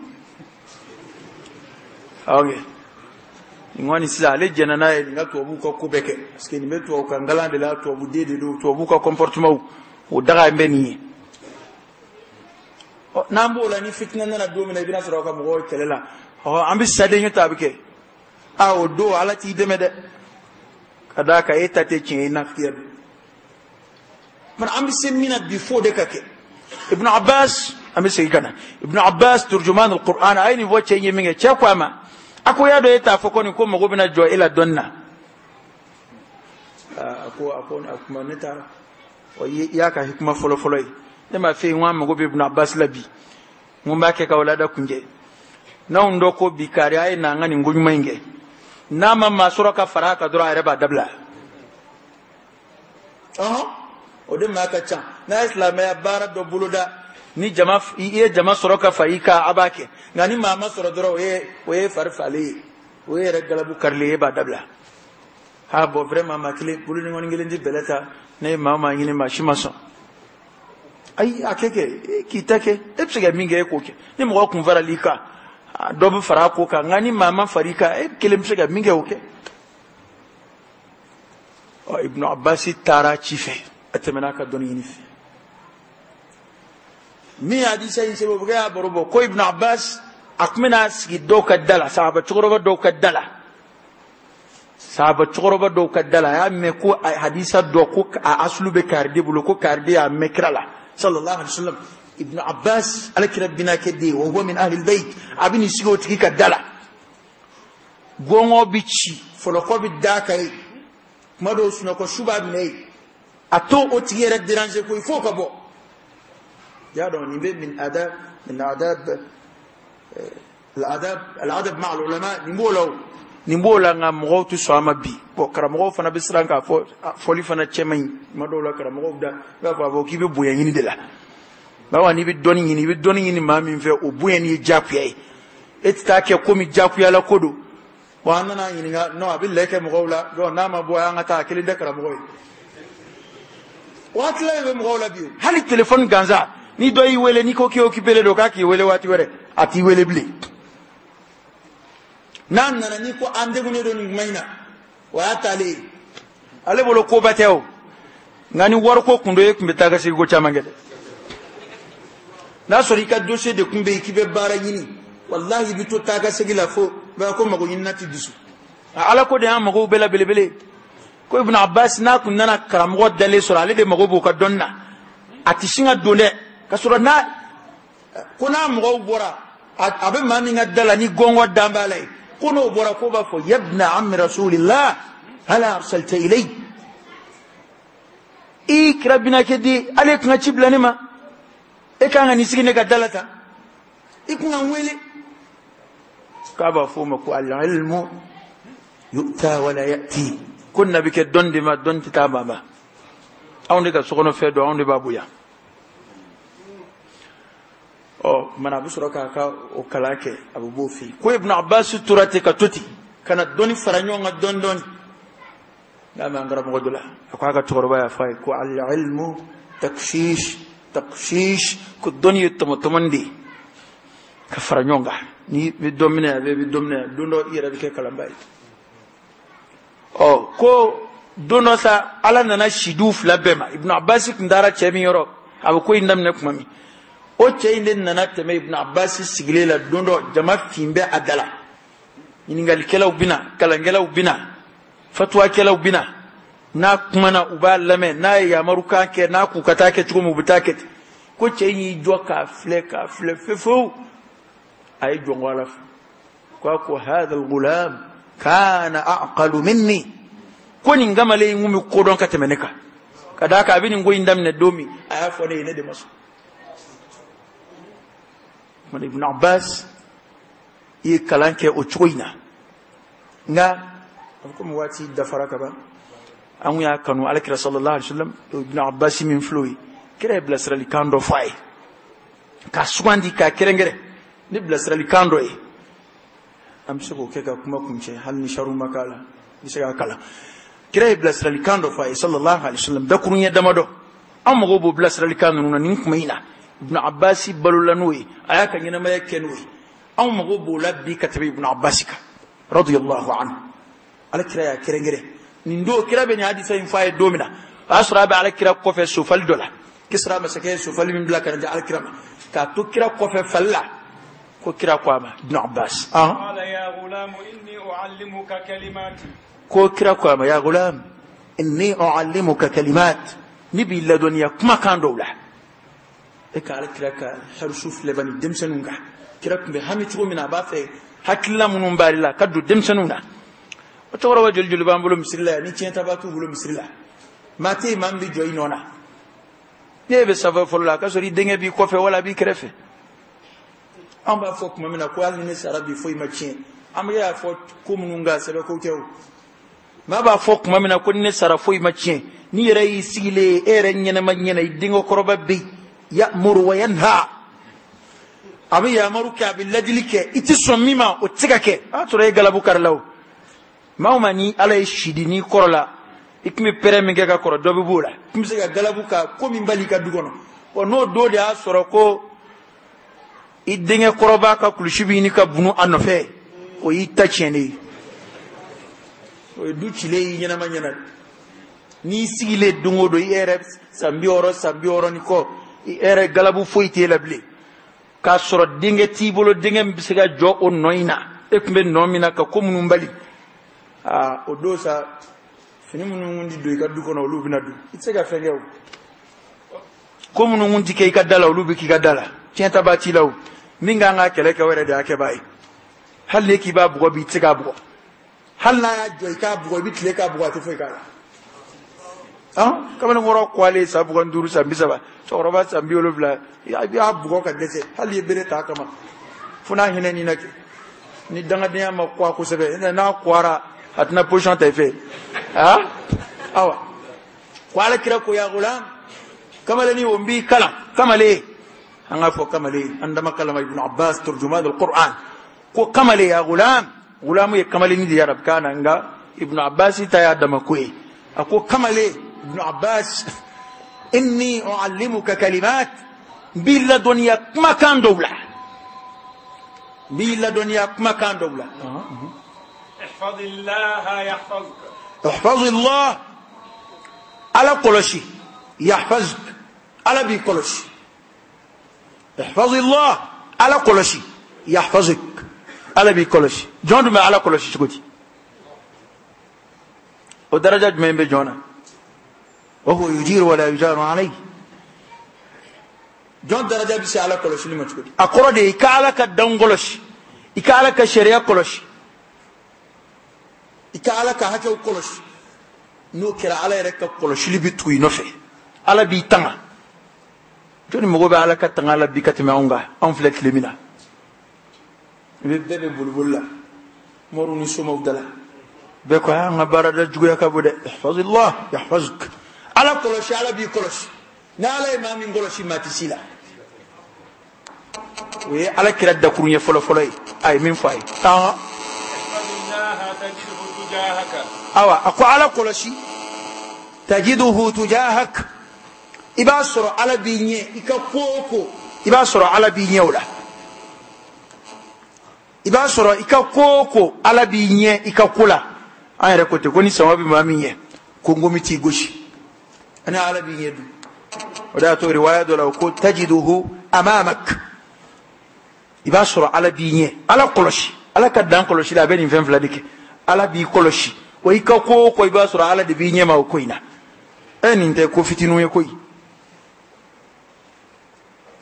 Ok. Nin kɔni sisan ale jɛnna n'a ye nin ka tubabuw ka ko bɛɛ kɛ. Parce que nin bɛ tubabu kan kalan de la, tubabuden de don, tubabuw ka comportement o daga bɛ nin ye. Ɔ n'an b'o la, ni fitinɛ nana don min na, i bɛna sɔrɔ ka mɔgɔw kɛlɛ la. Ɔ an bɛ sa den ɲɛ ta a bɛ kɛ. A o don Ala t'i dɛmɛ dɛ. Ka d'a kan e ta tɛ tiɲɛ ye, nafigiya don. Mana an bɛ se min na bi f'o de ka kɛ. Ibn Abbas, an bɛ segin ka na Ibn Abbas turjuman al-Qur'an, a ye nin fɔ cɛ in ye min kɛ, cɛ ko a ma, a ko y'a dɔn e t'a fɔ ko nin ko mago bɛna jɔ e la dɔnni na. A ko a ko a kuma ne taara. Ɔ i y'a ka hikima fɔlɔ fɔlɔ ye. Ne m'a fɛ yen, n ko an mago bɛ Ibn Abbas la bi. N ko n b'a kɛ ka wulada kunjɛ. N'anw dɔ ko bi kari a ye na an ka nin ko ɲuman in kɛ. N'a ma maa sɔrɔ ka fara a kan dɔrɔn a yɛrɛ b'a dabila. Ɔhɔn, o de maa ka ca. N'a ye silamɛya baara dɔ boloda, ni jama i ye jama sɔrɔ ka fara i kan, a b'a kɛ. Nka ni maa ma sɔrɔ dɔrɔn, o ye o ye fari falen ye, o ye yɛrɛ galabu karilen ye, e b'a dabila. Ha bon vraiment maa kelen boloɲɔgɔnni kelen tɛ bɛlɛ ta, ne ye maa o maa ɲini maa si ma sɔn. Ayi a kɛ kɛ k'i ta kɛ, e bɛ se ka min kɛ e k'o kɛ. Ni mɔgɔ kun faral'i kan, dɔ bɛ fara a ko kan, nka ni maa ma fara i kan, e kelen bɛ se ka min kɛ o kɛ. Ɔ Ibn Abbas taara ci fɛ, a tɛmɛna a ka dɔnni ɲini fɛ. Min ye hadisa in sɛbɛn, o bɛ kɛ y'a baro bɔ ko Ibn Abbas a tun bɛna sigi dɔw ka da la, sahaba cɛkɔrɔba dɔw ka da la. Sahaba cɛkɔrɔba dɔw ka da la, a y'a mɛn ko hadisa dɔ ko a asulu bɛ kariden bolo, ko kariden y'a mɛn kira la sallallahu alaihi wasallam. Ibn Abbas ala kira binakɛ den, wa huwa min ahli albayt, a bɛ n'i sigi o tigi ka da la. Gɔngɔ bɛ ci, fɔlɔkɔ bɛ d'a kan yen, kuma dɔw sunɔgɔ su b'a minɛ yen, a t'o o tigi yɛrɛ déranger koyi f'o ka bɔ. Y'a dɔn nin bɛ min adab min adab al-adab al-adab ma'a al-ulama, nin b'o la o, nin b'o la, nka mɔgɔw tɛ sɔn a ma bi. Bon karamɔgɔw fana bɛ siran k'a fɔ fɔli fana cɛ man ɲi. Kuma dɔw la karamɔgɔw da i b'a fɔ a fɔ k'i bɛ bonya ɲini de la. Bawo n'i bɛ dɔnni ɲini, i bɛ dɔnni ɲini maa min fɛ, o bonya ni ye diyagoya ye. E tɛ taa kɛ komi diyagoyala ko don. Wa an nana ɲininka, non a bɛ lɛ kɛ mɔgɔw la, donc n'a ma bɔ an ka taa a kelen tɛ karamɔgɔ ye. O hakilila in bɛ mɔgɔw la bi o. Hali téléphone gansan, ni dɔ y'i wele n'i ko k'i occupé don k'a k'i wele waati wɛrɛ, a t'i wele bilen. N'a nana n'i ko an degunnen don nin kuma in na, o y'a taalen ye. Ale bolo koba tɛ o, nka ni wariko kun don e tun bɛ taa ka segin ko caman kɛ dɛ. N'a sɔrɔ i ka dossier de kun bɛ yen k'i bɛ baara ɲini, walahi i bɛ to taa ka segin la fo b'a ko mago ɲinina tɛ dusu. Ala ko de y'an mago bɛɛ la belebele. Ko Ibn Abbas n'a kun nana karamɔgɔ dalen sɔrɔ, ale de mago b'o ka dɔnni na, a tɛ sin ka don dɛ, ka sɔrɔ n'a ko n'a mɔgɔw bɔra a bɛ maa min ka da la ni gɔngɔ dan b'a la yen, ko n'o bɔra ko b'a fɔ yabna ammi rasulillah hala arsalta ilay, i kira binakɛ di, ale kun ka ci bila ne ma, e kan ka nin sigi ne ka da la tan, i kun ka n wele. K'a b'a fɔ o ma ko al-ilmu yu'ta wala ya'ti, ko na bɛ kɛ dɔnni de ma, dɔnni tɛ taa maa ma. Anw de ka sokɔnɔfɛn dɔn, anw de b'a bonya. Ɔ mana a bɛ sɔrɔ k'a ka o kalan kɛ, a bɛ b'o fɛ yen. Ko Ibn Abbas tora ten ka to ten, ka na dɔnni fara ɲɔgɔn kan dɔɔni dɔɔni. N'a mɛn an karamɔgɔ dɔ la, a ko a ka cɛkɔrɔba y'a fɔ a ye ko al-ilmu takshish takshish, ko dɔnni ye tɔmɔtɔmɔni de ye ka fara ɲɔgɔn kan. Ni bɛ dɔ minɛ a bɛ dɔ minɛ, don dɔ i yɛrɛ bɛ kɛ kalanba ye. Ɔ ko don dɔ sa ala nana sidiw fila bɛɛ ma. Ibn Abbas tun taara cɛ min yɔrɔ, a bɛ ko in daminɛ tuma min, o cɛ in de nana tɛmɛ Ibn Abbas sigilen la don dɔ, jama fin bɛ a da la. Ɲininkalikɛlaw bɛ na, kalankɛlaw bɛ na, fatuwakɛlaw bɛ na. N'a kumana u b'a lamɛn, n'a ye yamarukan kɛ, n'a k'u ka taa kɛ cogo min u bɛ taa kɛ ten. Ko cɛ in y'i jɔ k'a filɛ k'a filɛ fefewu, a ye jɔn ko ala fɛ. Ko a ko hadha al-ghulam kana a'qalu minni, ko nin kamalen in kun bɛ ko dɔn ka tɛmɛ ne kan. Ka d'a kan a bɛ nin ko in daminɛ don min, a y'a fɔ ne ye, ne de ma sɔn. Ibn Abbas i ye kalan kɛ o cogo in na, nka a bɛ komi waati dafara ka ban. An kun y'a kanu alakira sallallahu alaihi wasallam, Ibn Abbas min filɛ o ye, kira ye bilasiralikan dɔ fɔ a ye k'a sugandi k'a kɛrɛnkɛrɛn ni bilasiralikan dɔ ye. An bɛ se k'o kɛ ka kuma kuncɛ, hali ni sariw ma k'a la, i bɛ se k'a kalan. Kira ye bilasiralikan dɔ fɔ a ye sallallahu alaihi wasallam, dakuruɲɛ damadɔ. An mago b'o bilasiralikan ninnu na nin kuma in na. Ibn Abbas balola n'o ye, a y'a ka ɲɛnamaya kɛ n'o ye. Anw mago b'o la bi ka tɛmɛ Ibn Abbas kan radiyallahu anhu. Ala kira y'a kɛrɛnkɛrɛn nin don, kira bɛ nin hadisa in fɔ a ye don min na, o y'a sɔrɔ a bɛ ala kira kɔfɛ sofali dɔ la. Kisra masakɛ ye sofali min bila ka na di ala kira ma, k'a to kira kɔfɛ fali la, Ko kira ko a ma Ibn Abbas ah قال يا غلام إني أعلمك كلمات ko kira ko a ma ya gulam inni uallimuka kalimat ne b'i ladɔnniya kumakan dɔw la e ka ala kira ka harisu filɛ bani denmisɛnninw kan kira tun bɛ hami cogo min na a b'a fɛ hakilila minnu b'ale la ka don denmisɛnninw na o cɛkɔrɔba joli joli b'an bolo misiri la yan ni tiɲɛtaba t'u bolo misiri la maa tɛ yen maa min bɛ jɔ i nɔ na n'e bɛ sanfɛ fɔlɔ la a ka sɔrɔ i denkɛ b'i kɔfɛ wala a b'i kɛrɛfɛ an b'a fɔ tuma min na ko hali ni ne sara bi foyi ma tiɲɛ an bɛ y'a fɔ ko minnu kan sɛbɛ ko tɛ o maa b'a fɔ tuma min na ko ni ne sara foyi ma tiɲɛ n'i yɛrɛ y'i sigilen ye e yɛrɛ ɲɛnama ɲɛna i denkɛ kɔrɔba bɛ yen ya'muru wa yanha a bɛ yamaru kɛ a bɛ ladili kɛ i tɛ sɔn min ma o tɛ se ka kɛ a y'a sɔrɔ e galabu kari la o maa o maa ni ala ye si di n'i kɔrɔ la i tun bɛ pɛrɛn min kɛ ka kɔrɔ dɔ bɛ b'o la i tun bɛ se ka galabu ka ko min bali i ka du kɔnɔ wa n'o don de y'a sɔrɔ ko i denkɛ kɔrɔba ka kulusi bɛ ɲini ka bunu a nɔfɛ o y'i ta tiɲɛnen ye o ye du cilen y'i ɲɛnama ɲɛna n'i sigilen don o don i yɛrɛ san bi wɔɔrɔ san bi wɔɔrɔ ni kɔ i yɛrɛ galabu foyi t'e la bilen k'a sɔrɔ denkɛ t'i bolo denkɛ min bɛ se ka jɔ o nɔ in na e tun bɛ nɔ min na ka ko minnu bali aa o don sa fini minnu kun ti don i ka du kɔnɔ olu bɛna don i tɛ se ka fɛn kɛ o ko minnu kun ti kɛ i ka da la olu bɛ k'i ka da la tiɲɛtaba t'i la o min kan ka kɛlɛ kɛ o yɛrɛ de y'a kɛbaa ye hali n'e k'i b'a bugɔ bi i tɛ se k'a bugɔ hali n'a y'a jɔ i k'a bugɔ i bɛ tile k'a bugɔ a tɛ foyi k'a la han kamalenkɔrɔ kɔlen san mugan ni duuru san bi saba cɛkɔrɔba san bi wolonwula i b'a bugɔ ka dɛsɛ hali i ye bere t'a kama fo n'a hinɛ n'i na kɛ ni dangadenya ma kɔ kosɛbɛ n'a kɔra a tɛna position ta i fɛ ah awa ko ala kira ko ya gulam kamalenni o n b'i kalan kamalen an k'a fɔ kamalen an dama kalama Ibn Abbas turjuman al-Qur'an ko kamalen ya gulam gulamu ye kamalenni de ye arabukan na nka Ibn Abbas ta y'a dama ko ye a ko kamalen Ibn Abbas inni uallimuka kalimat n b'i ladɔnniya kumakan dɔw la n b'i ladɔnniya kumakan dɔw la احفظ الله يحفظك احفظ الله ala kɔlɔsi yahfazuk ala b'i kɔlɔsi احفظ الله ala kɔlɔsi yahfazuk ala b'i kɔlɔsi jɔn dun bɛ ala kɔlɔsi cogo di o daraja jumɛn bɛ jɔn na وهو يجير ولا يجار عليه jɔn daraja bɛ se ala kɔlɔsili ma cogo di a kɔrɔ de ye i ka ala ka danw kɔlɔsi i ka ala ka sariya kɔlɔsi i ka ala ka hakɛw kɔlɔsi n'o kɛra ala yɛrɛ ka kɔlɔsili bɛ tugu i nɔfɛ ala b'i tanga jɔnni mago bɛ ala ka tanga la bi ka tɛmɛ anw kan anw filɛ tile min na i bɛ bɛɛ bɛ boliboli la moriw ni somaw da la bɛɛ ko an ka baarada juguya ka bon dɛ ihfazillah yahfazuk ala kɔlɔsi ala b'i kɔlɔsi ni ala ye maa min kɔlɔsi maa tɛ s'i la o ye ala kira dakuru ɲɛ fɔlɔ fɔlɔ ye a ye min fɔ a ye ɔhɔn احفظ الله تجده تجاهك awa a ko ala kɔlɔsi tajiduhu tujahak i b'a sɔrɔ ala b'i ɲɛ i ka ko o ko i b'a sɔrɔ ala b'i ɲɛ o la i b'a sɔrɔ i ka ko o ko ala b'i ɲɛ i ka ko la an yɛrɛ ko ten ko ni sama bɛ maa min ɲɛ ko nkomi t'i gosi ani ala b'i ɲɛ dun o de y'a to riwaya dɔ la o ko tajiduhu amamak i b'a sɔrɔ ala b'i ɲɛ ala kɔlɔsi ala ka dan kɔlɔsi la a bɛ nin fɛn fila de kɛ ala b'i kɔlɔsi wa i ka ko o ko i b'a sɔrɔ ala de b'i ɲɛ ma o ko in na e nin tɛ ko fitininw ye koyi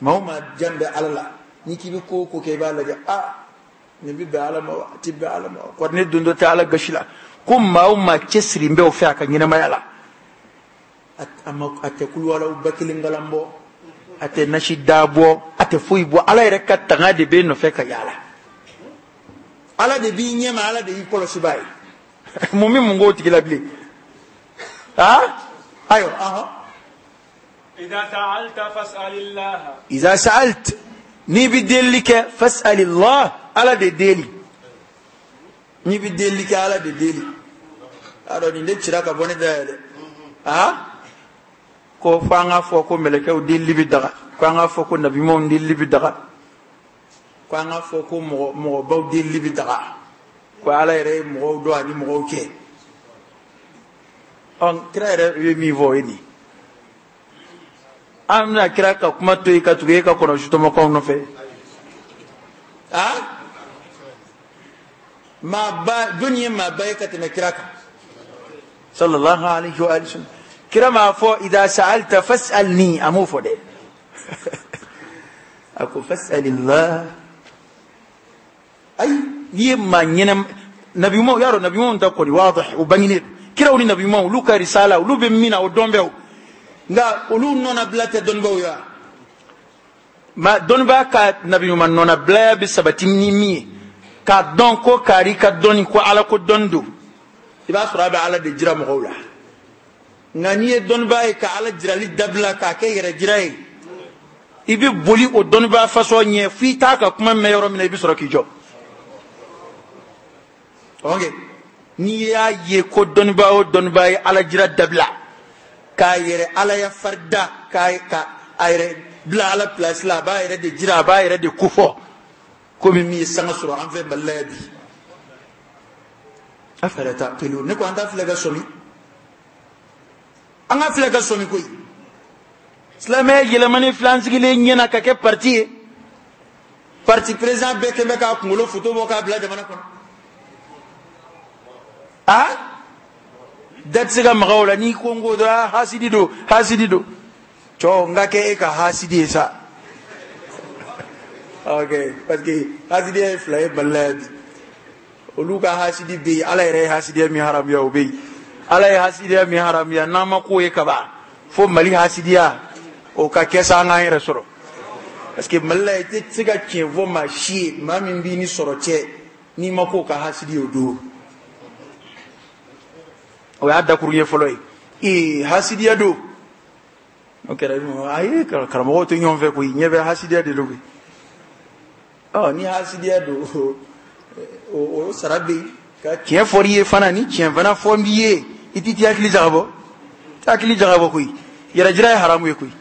maa o maa jan bɛ ala la n'i k'i bɛ ko o ko kɛ i b'a lajɛ a nin bɛ bɛn ala ma wa a tɛ bɛn ala ma wa kɔri ne don dɔ tɛ ala gasi la ko maa o maa cɛsiri bɛ o fɛ a ka ɲɛnamaya la a ma a tɛ kuluwalaw ba kelen kalan bɔ a tɛ nasi da bɔ a tɛ foyi bɔ ala yɛrɛ ka tanga de b'e nɔfɛ ka yaala ala de b'i ɲɛma ala de y'i kɔlɔsibaa ye mun bɛ mun k'o tigi la bilen aa ayiwa ahɔn إذا سألت فاسأل الله iza sa'alt n'i bɛ delili kɛ fas'alillah ala de deli n'i bɛ delili kɛ ala de deli a dɔn nin de cira ka bɔ ne da yɛ dɛ aa ko fo an k'a fɔ ko mɛlɛkɛw delili bɛ daga ko an k'a fɔ ko nabiɲumanw delili bɛ daga ko an k'a fɔ ko mɔgɔ mɔgɔbaw delili bɛ daga ko ala yɛrɛ ye mɔgɔw dɔn ani mɔgɔw cɛ ɔ kira yɛrɛ ye min fɔ o ye nin an bɛna kira ka kuma to yen ka tugu e ka kɔnɔsutɔmɔkaw nɔfɛ A maaba jɔnni ye maaba ye ka tɛmɛ kira kan sallallahu alaihi wa sallam? Kira m'a fɔ idha sa'alta fas'alni, a m'o fɔ dɛ. A ko fas'alillah. Ayi, n'i ye maa ɲɛnama nabi ɲumanw y'a dɔn, nabi ɲumanw ta kɔni wadih, o bangenen don. Kiraw ni nabi ɲumanw olu ka risala olu bɛ min na o dɔn bɛ o, nka olu nɔnabila tɛ dɔnnibaaw ye wa? Ma dɔnnibaa ka nabi ɲuman nɔnabilaya bɛ sabati ni min ye, k'a dɔn ko kari ka dɔnni ko ala ko dɔnni don, i b'a sɔrɔ a bɛ ala de jira mɔgɔw la. Nka n'i ye dɔnnibaa ye ka ala jirali dabila k'a kɛ yɛrɛ jira ye, i bɛ boli o dɔnnibaa fasɔn ɲɛ f'i t'a ka kuma mɛn yɔrɔ min na, i bɛ sɔrɔ k'i jɔ. Ok, n'i y'a ye ko dɔnnibaa o dɔnnibaa ye ala jira dabila k'a yɛrɛ ala ya farida k'a ka a yɛrɛ bila ala place la, a b'a yɛrɛ de jira, a b'a yɛrɛ de kofɔ, komi min ye sanga sɔrɔ an fɛ Mali la yan bi. Afala taqilun, ne ko an t'a filɛ ka sɔmi, an ka filɛ ka sɔmi koyi. Silamɛya yɛlɛmani filɛ an sigilen ɲɛna ka kɛ parti ye, parti président bɛɛ kɛn bɛ k'a kunkolo foto bɔ k'a bila jamana kɔnɔ. A da tɛ se ka maga o la, n'i ko n ko dɔrɔn hasidi don, hasidi don. Cɔ n ka kɛ e ka hasidi ye sa. Ok, parce que hasidiya ye fila ye Mali la yan bi. Olu ka hasidi bɛ yen, ala yɛrɛ ye hasidiya min haramuya o bɛ yen. Ala ye hasidiya min haramuya n'an ma k'o ye kaban, fo Mali hasidiya o ka kɛ sa an k'an yɛrɛ sɔrɔ. Parce que Mali la i tɛ se ka tiɲɛ fɔ maa si ye, maa min b'i ni sɔrɔ cɛ, n'i ma k'o ka hasidi ye o don. O y'a dakuru ɲɛ fɔlɔ ye. Ee hasidiya don. O kɛra ayi karamɔgɔw tɛ ɲɔgɔn fɛ koyi, ɲɛ bɛ hasidiya de don koyi. Ɔ ni hasidiya don, o o sara bɛ yen. Ka tiɲɛ fɔr'i ye fana, ni tiɲɛ fana fɔ b'i ye, i t'i t'i hakili jagabɔ, i t'i hakili jagabɔ koyi. Yɛrɛjira ye haramu ye koyi.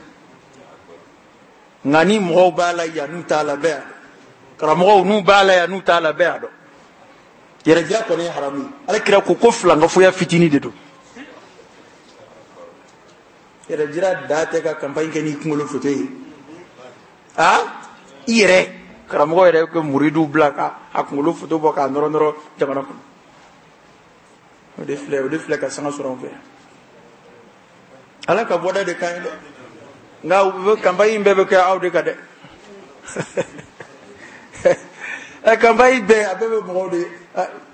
Nka ni mɔgɔw b'a la yan n'u t'a la bɛɛ y'a dɔn, karamɔgɔw n'u b'a la yan n'u t'a la bɛɛ y'a dɔn. Yɛrɛjira kɔni ye haramu ye. Ala kira ko ko filankafoya fitinin de don. Yɛrɛjira da tɛ ka campagne kɛ n'i kunkolo foto ye. A i yɛrɛ karamɔgɔ yɛrɛ ka muridiw bila ka a kunkolo foto bɔ k'a nɔrɔ nɔrɔ jamana kɔnɔ. O de filɛ, o de filɛ ka sanga sɔrɔ an fɛ. Ala ka bɔda de ka ɲi dɛ. Nka u bɛ campagne bɛɛ bɛ kɛ aw de kan dɛ. Ɛ campagne bɛɛ a bɛɛ bɛ mɔgɔw de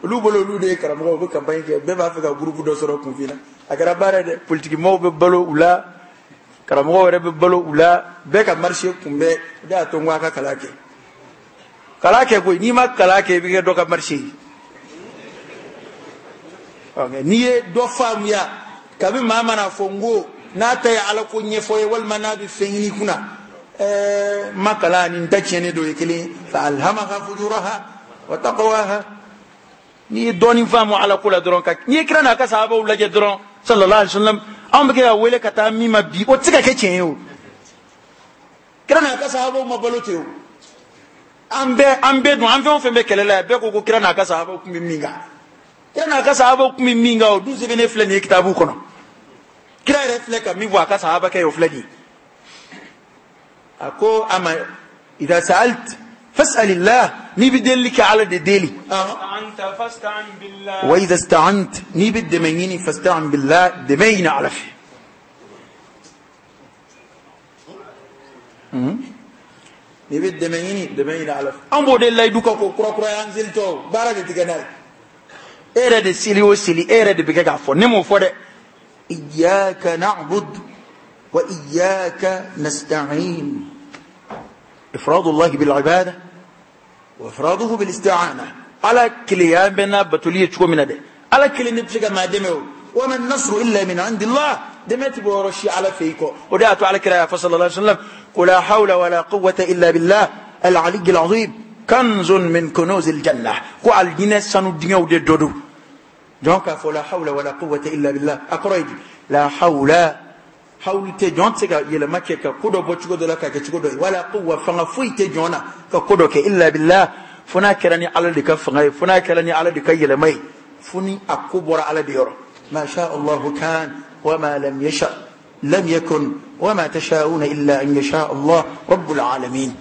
olu bolo, olu de ye karamɔgɔw, u bɛ campagne kɛ, bɛɛ b'a fɛ ka groupe dɔ sɔrɔ kunfin na. A kɛra baara ye dɛ, politiki maaw bɛ balo u la, karamɔgɔw yɛrɛ bɛ balo u la, bɛɛ ka marché kunbɛ. O de y'a to n ko a ka kalan kɛ. Kalan kɛ koyi, n'i ma kalan kɛ i bɛ kɛ dɔ ka marché ye. N'i ye dɔ faamuya, kabi maa mana fɔ n ko n'a ta ye ala ko ɲɛfɔ ye walima n'a bɛ fɛn ɲini kunna, ɛɛ ma kalan ni n ta tiɲɛnen dɔ ye kelen. Fa alhamaha fujuraha wa taqwaha. N'i ye dɔɔnin faamu ala ko la dɔrɔn, ka n'i ye kira n'a ka sahabaw lajɛ dɔrɔn sallallahu alaihi wasallam, anw bɛ kɛ ka wele ka taa min ma bi, o tɛ se ka kɛ tiɲɛ ye o. Kira n'a ka sahabaw ma balo ten o. An bɛɛ an bɛɛ dun, an fɛn o fɛn bɛ kɛlɛ la yan, bɛɛ ko ko kira n'a ka sahabaw tun bɛ min kan. Kira n'a ka sahabaw tun bɛ min kan, o dun sɛbɛnnen filɛ nin ye kitabu kɔnɔ. Kira yɛrɛ filɛ ka min fɔ a ka sahaba kɛ o filɛ nin ye. A ko a ma idha sa'alt fas'alillah, n'i bɛ delili kɛ ala de deli. Wa idha ista'ant, n'i bɛ dɛmɛ ɲini fasta'in billah, dɛmɛ ɲini ala fɛ. N'i bɛ dɛmɛ ɲini, dɛmɛ ɲini ala fɛ. An b'o de layidu kan k'o kurakuraya an selitɔ, baara de tigɛ n'a ye. E yɛrɛ de seli o seli, e yɛrɛ de bɛ kɛ k'a fɔ, ne m'o fɔ dɛ. Iyyaka na'bud wa iyyaka nasta'in. Ifradullahi bil ibada wa ifraduhu bil isti'ana. Ala keleya bɛ n'a batoli ye cogo min na dɛ, ala kelen de bɛ se ka maa dɛmɛ o. Wa man nasru illa min indillah, dɛmɛ ti bɔ yɔrɔ si ala fɛ i kɔ. O de y'a to ala kira y'a fɔ sallallahu alaihi wasallam ko la hawla wala quwwata illa billah al aliyyil azim kanzun min kunuzil janna, ko aljinɛ sanu dingɛw de dɔ don. Donc k'a fɔ la hawla wala quwwata illa billah, a kɔrɔ ye di? La hawla, hawlu tɛ jɔn tɛ se ka yɛlɛma kɛ ka ko dɔ bɔ cogo dɔ la k'a kɛ cogo dɔ ye, wala quwwa, fanga foyi tɛ jɔn na ka ko dɔ kɛ illa billah, fo n'a kɛra ni ala de ka fanga ye, fo n'a kɛra ni ala de ka yɛlɛma ye, fo ni a ko bɔra ala de yɔrɔ. Ma sha Allahu kan wa ma lam yasha lam yakun wa ma tasha'una illa an yasha Allah rabbul alamin.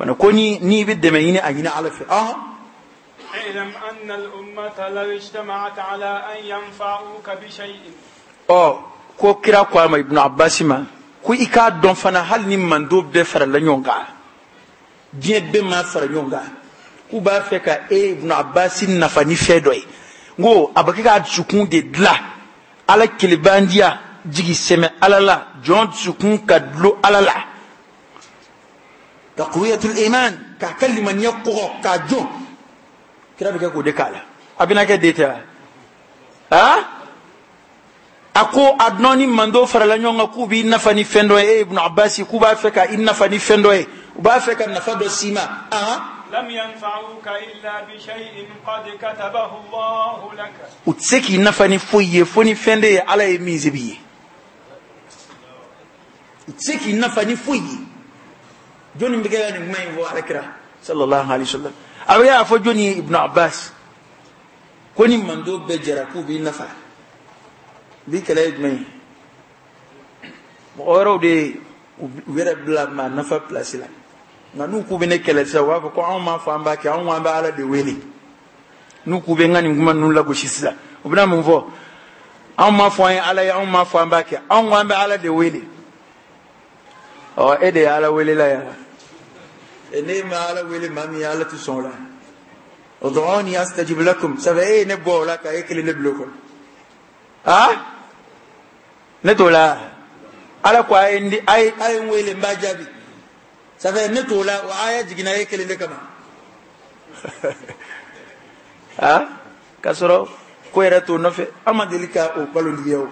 Fana ko ni n'i bɛ dɛmɛ ɲini a ɲini Ala fɛ. Ɔhɔn. اعلم أن الأمة لو اجتمعت على أن ينفعوك بشيء. Ɔ ko kira ko a ma Ibn Abbas ma ko i k'a dɔn fana hali ni mando bɛɛ farala ɲɔgɔn kan, diɲɛ bɛɛ ma fara ɲɔgɔn kan, k'u b'a fɛ ka e Ibn Abbas nafa ni fɛn dɔ ye. N ko a bɛ kɛ k'a dusukun de dilan Ala kelebandiya jigi sɛmɛ Ala la, jɔn dusukun ka dulon Ala la. Taqwiyatul iman, k'a ka limaniya kɔgɔ k'a jɔ. Kira bɛ kɛ k'o de k'a la. A bɛna kɛ de tɛ wa? Aa? A ko a dɔn ni mando farala ɲɔgɔn kan k'u b'i nafa ni fɛn dɔ ye, e Ibn Abbas k'u b'a fɛ ka i nafa ni fɛn dɔ ye, u b'a fɛ ka nafa dɔ s'i ma. Ahan. لم ينفعوك إلا بشيء قد كتبه الله لك. U tɛ se k'i nafa ni foyi ye fo ni fɛn de ye Ala ye min sɛbɛn i ye. U tɛ se k'i nafa ni foyi ye. Jɔnni bɛ kɛ ka nin kuma in fɔ Ala kira sallallahu alaihi wa sallam? A bɛ kɛ k'a fɔ jɔnni ye Ibn Abbas ko ni mando bɛɛ jɛra k'u b'i nafa, bi kɛlɛ ye jumɛn ye? Mɔgɔ wɛrɛw de u yɛrɛ bila maa nafa place la. Nka n'u k'u bɛ ne kɛlɛ sisan, u b'a fɔ ko anw m'a fɔ an b'a kɛ, anw ko an bɛ Ala de wele. N'u k'u bɛ n ka nin kuma ninnu lagosi sisan, u bɛna mun fɔ? Anw m'a fɔ an ye Ala ye, anw m'a fɔ an b'a kɛ, anw ko an bɛ Ala de wele. Ɔ e de ye Ala welela yan. E ne ma Ala wele maa min ye, Ala tɛ sɔn o la. Ud'uni astajib lakum. Ça fait e ye ne bɔ o la ka e kelen ne bila o kɔnɔ. Ah? Ne t'o la. Ala ko a ye n di, a ye a ye n wele n b'a jaabi. Ça fait ne t'o la, o aya jiginna e kelen de kama. Ah? K'a sɔrɔ ko yɛrɛ t'o nɔfɛ. An ma deli ka o balontigiya o.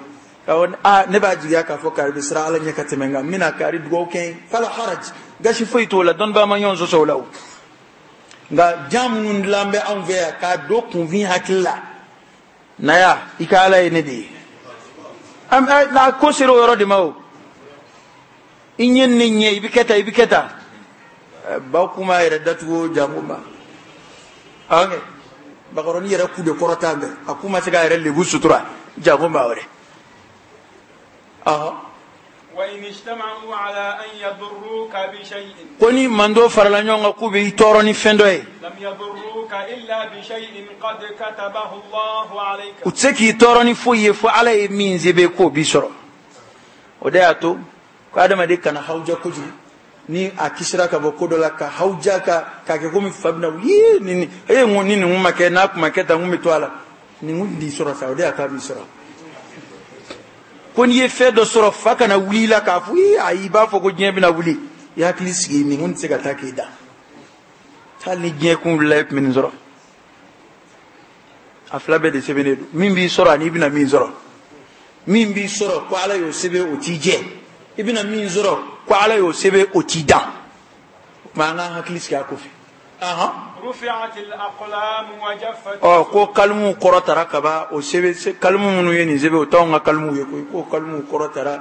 K'a fɔ ah ne b'a jigiya k'a fɔ kari bɛ siran Ala ɲɛ ka tɛmɛ n kan, n bɛna kari dugawu kɛ n ye. Fala haraj, gasi foyi t'o la, dɔnnibaa ma ɲɔgɔn sɔsɔ o la o. Nka jan minnu dilan bɛ anw fɛ yan k'a don kunfin hakili la, naya i ka Ala ye ne de ye. An n'a ko sera o yɔrɔ de ma o. I ɲɛ ni ne ɲɛ, i bɛ kɛ tan, i bɛ kɛ tan. Baw kuma yɛrɛ datugu jango ma. Ɔnkɛ bakɔrɔni yɛrɛ ku de kɔrɔtan bɛ, a ku ma se k'a yɛrɛ lebu sutura jango ma wɛrɛ. Ɔhɔn. وإن اجتمعوا على أن يضروك بشيء. Ko ni mando farala ɲɔgɔn kan k'u bɛ i tɔɔrɔ ni fɛn dɔ ye. لم يضروك إلا بشيء قد كتبه الله عليك. U tɛ se k'i tɔɔrɔ ni foyi ye fo Ala ye min sɛbɛn k'o b'i sɔrɔ. O de y'a to ko adamaden kana hawuja kojugu. Ni a kisira ka bɔ ko dɔ la ka hawuja ka k'a kɛ komi fa bɛna wuli ni ni e n ko ni nin kun ma kɛ n'a kun ma kɛ tan n kun bɛ to a la. Nin kun b'i sɔrɔ sa, o de y'a to a b'i sɔrɔ. Ko n'i ye fɛn dɔ sɔrɔ fa kana wuli i la k'a fɔ ee ayi i b'a fɔ ko diɲɛ bɛna wuli. I hakili sigi nin kun tɛ se ka taa k'i da. Hali ni diɲɛ kun wulila e tun bɛ nin sɔrɔ. A fila bɛɛ de sɛbɛnnen don. Min b'i sɔrɔ ani i bɛna min sɔrɔ. Min b'i sɔrɔ ko Ala y'o sɛbɛn o t'i jɛ. I bɛna min sɔrɔ ko Ala y'o sɛbɛn o t'i dan. O tuma an k'an hakili sigi a ko fɛ. Ahan. رفعت الأقلام وجفت. Ɔ ko kalimu kɔrɔtara kaban, o sɛbɛn kalimu minnu ye nin sɛbɛn o t'anw ka kalimuw ye koyi. Ko kalimu kɔrɔtara,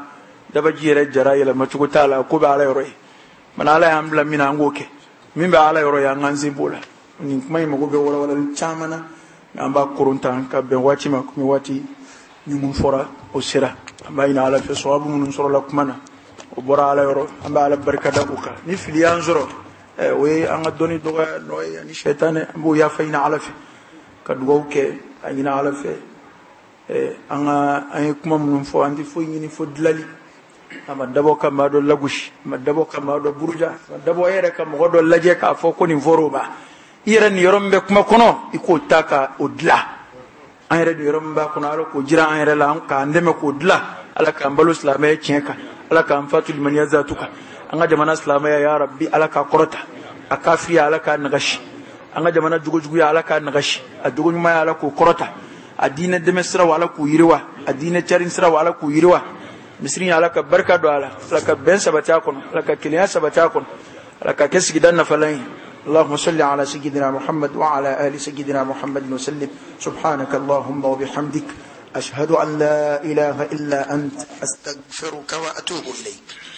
dabaji yɛrɛ jara yɛlɛmacogo t'a la, ko bɛ Ala yɔrɔ ye. Mana Ala y'an bila min na an k'o kɛ. Min bɛ Ala yɔrɔ ye an k'an sen b'o la. Nin kuma in mago bɛ walawalali caman na, nka an b'a koron tan ka bɛn waati ma, komi waati min fɔra o sera. An b'a ɲini Ala fɛ sababu minnu sɔrɔla kuma na, o bɔra Ala yɔrɔ, an bɛ Ala barika da o kan. Ni fili y'an sɔrɔ, o ye an ka dɔnni dɔgɔya nɔ ye ani sɛtanɛ, an b'o yafa ɲini Ala fɛ ka dugawu kɛ a ɲini Ala fɛ. An ka an ye kuma minnu fɔ, an tɛ foyi ɲini fo dilali. A ma dabɔ ka maa dɔ lagosi, a ma dabɔ ka maa dɔ buruja, a ma dabɔ e yɛrɛ ka mɔgɔ dɔ lajɛ k'a fɔ ko nin fɔr'o ma. I yɛrɛ nin yɔrɔ min bɛ kuma kɔnɔ, i k'o ta ka o dilan. An yɛrɛ nin yɔrɔ min b'a kɔnɔ, Ala k'o jira an yɛrɛ la, k'an dɛmɛ k'o dilan. Ala k'an balo silamɛya tiɲɛ kan, Ala k'an fatu limaniya zatu kan. An ka jamana silamɛya ya Rabbi Ala k'a kɔrɔta, a kafiriya Ala k'a nagasi, an ka jamana jogojuguya Ala k'a nagasi, a jogoɲumanya Ala k'o kɔrɔta, a diinɛ dɛmɛ siraw Ala k'u yiriwa, a diinɛ carin siraw Ala k'u yiriwa. Misiri Ala ka barika don a la, Ala ka bɛn sabati a kɔnɔ, Ala ka kelenya sabati a kɔnɔ, Ala ka kɛ sigida nafalan ye. اللهم صل على سيدنا محمد وعلى آل سيدنا محمد وسلم. سبحانك اللهم وبحمدك، أشهد أن لا إله إلا أنت، أستغفرك وأتوب إليك.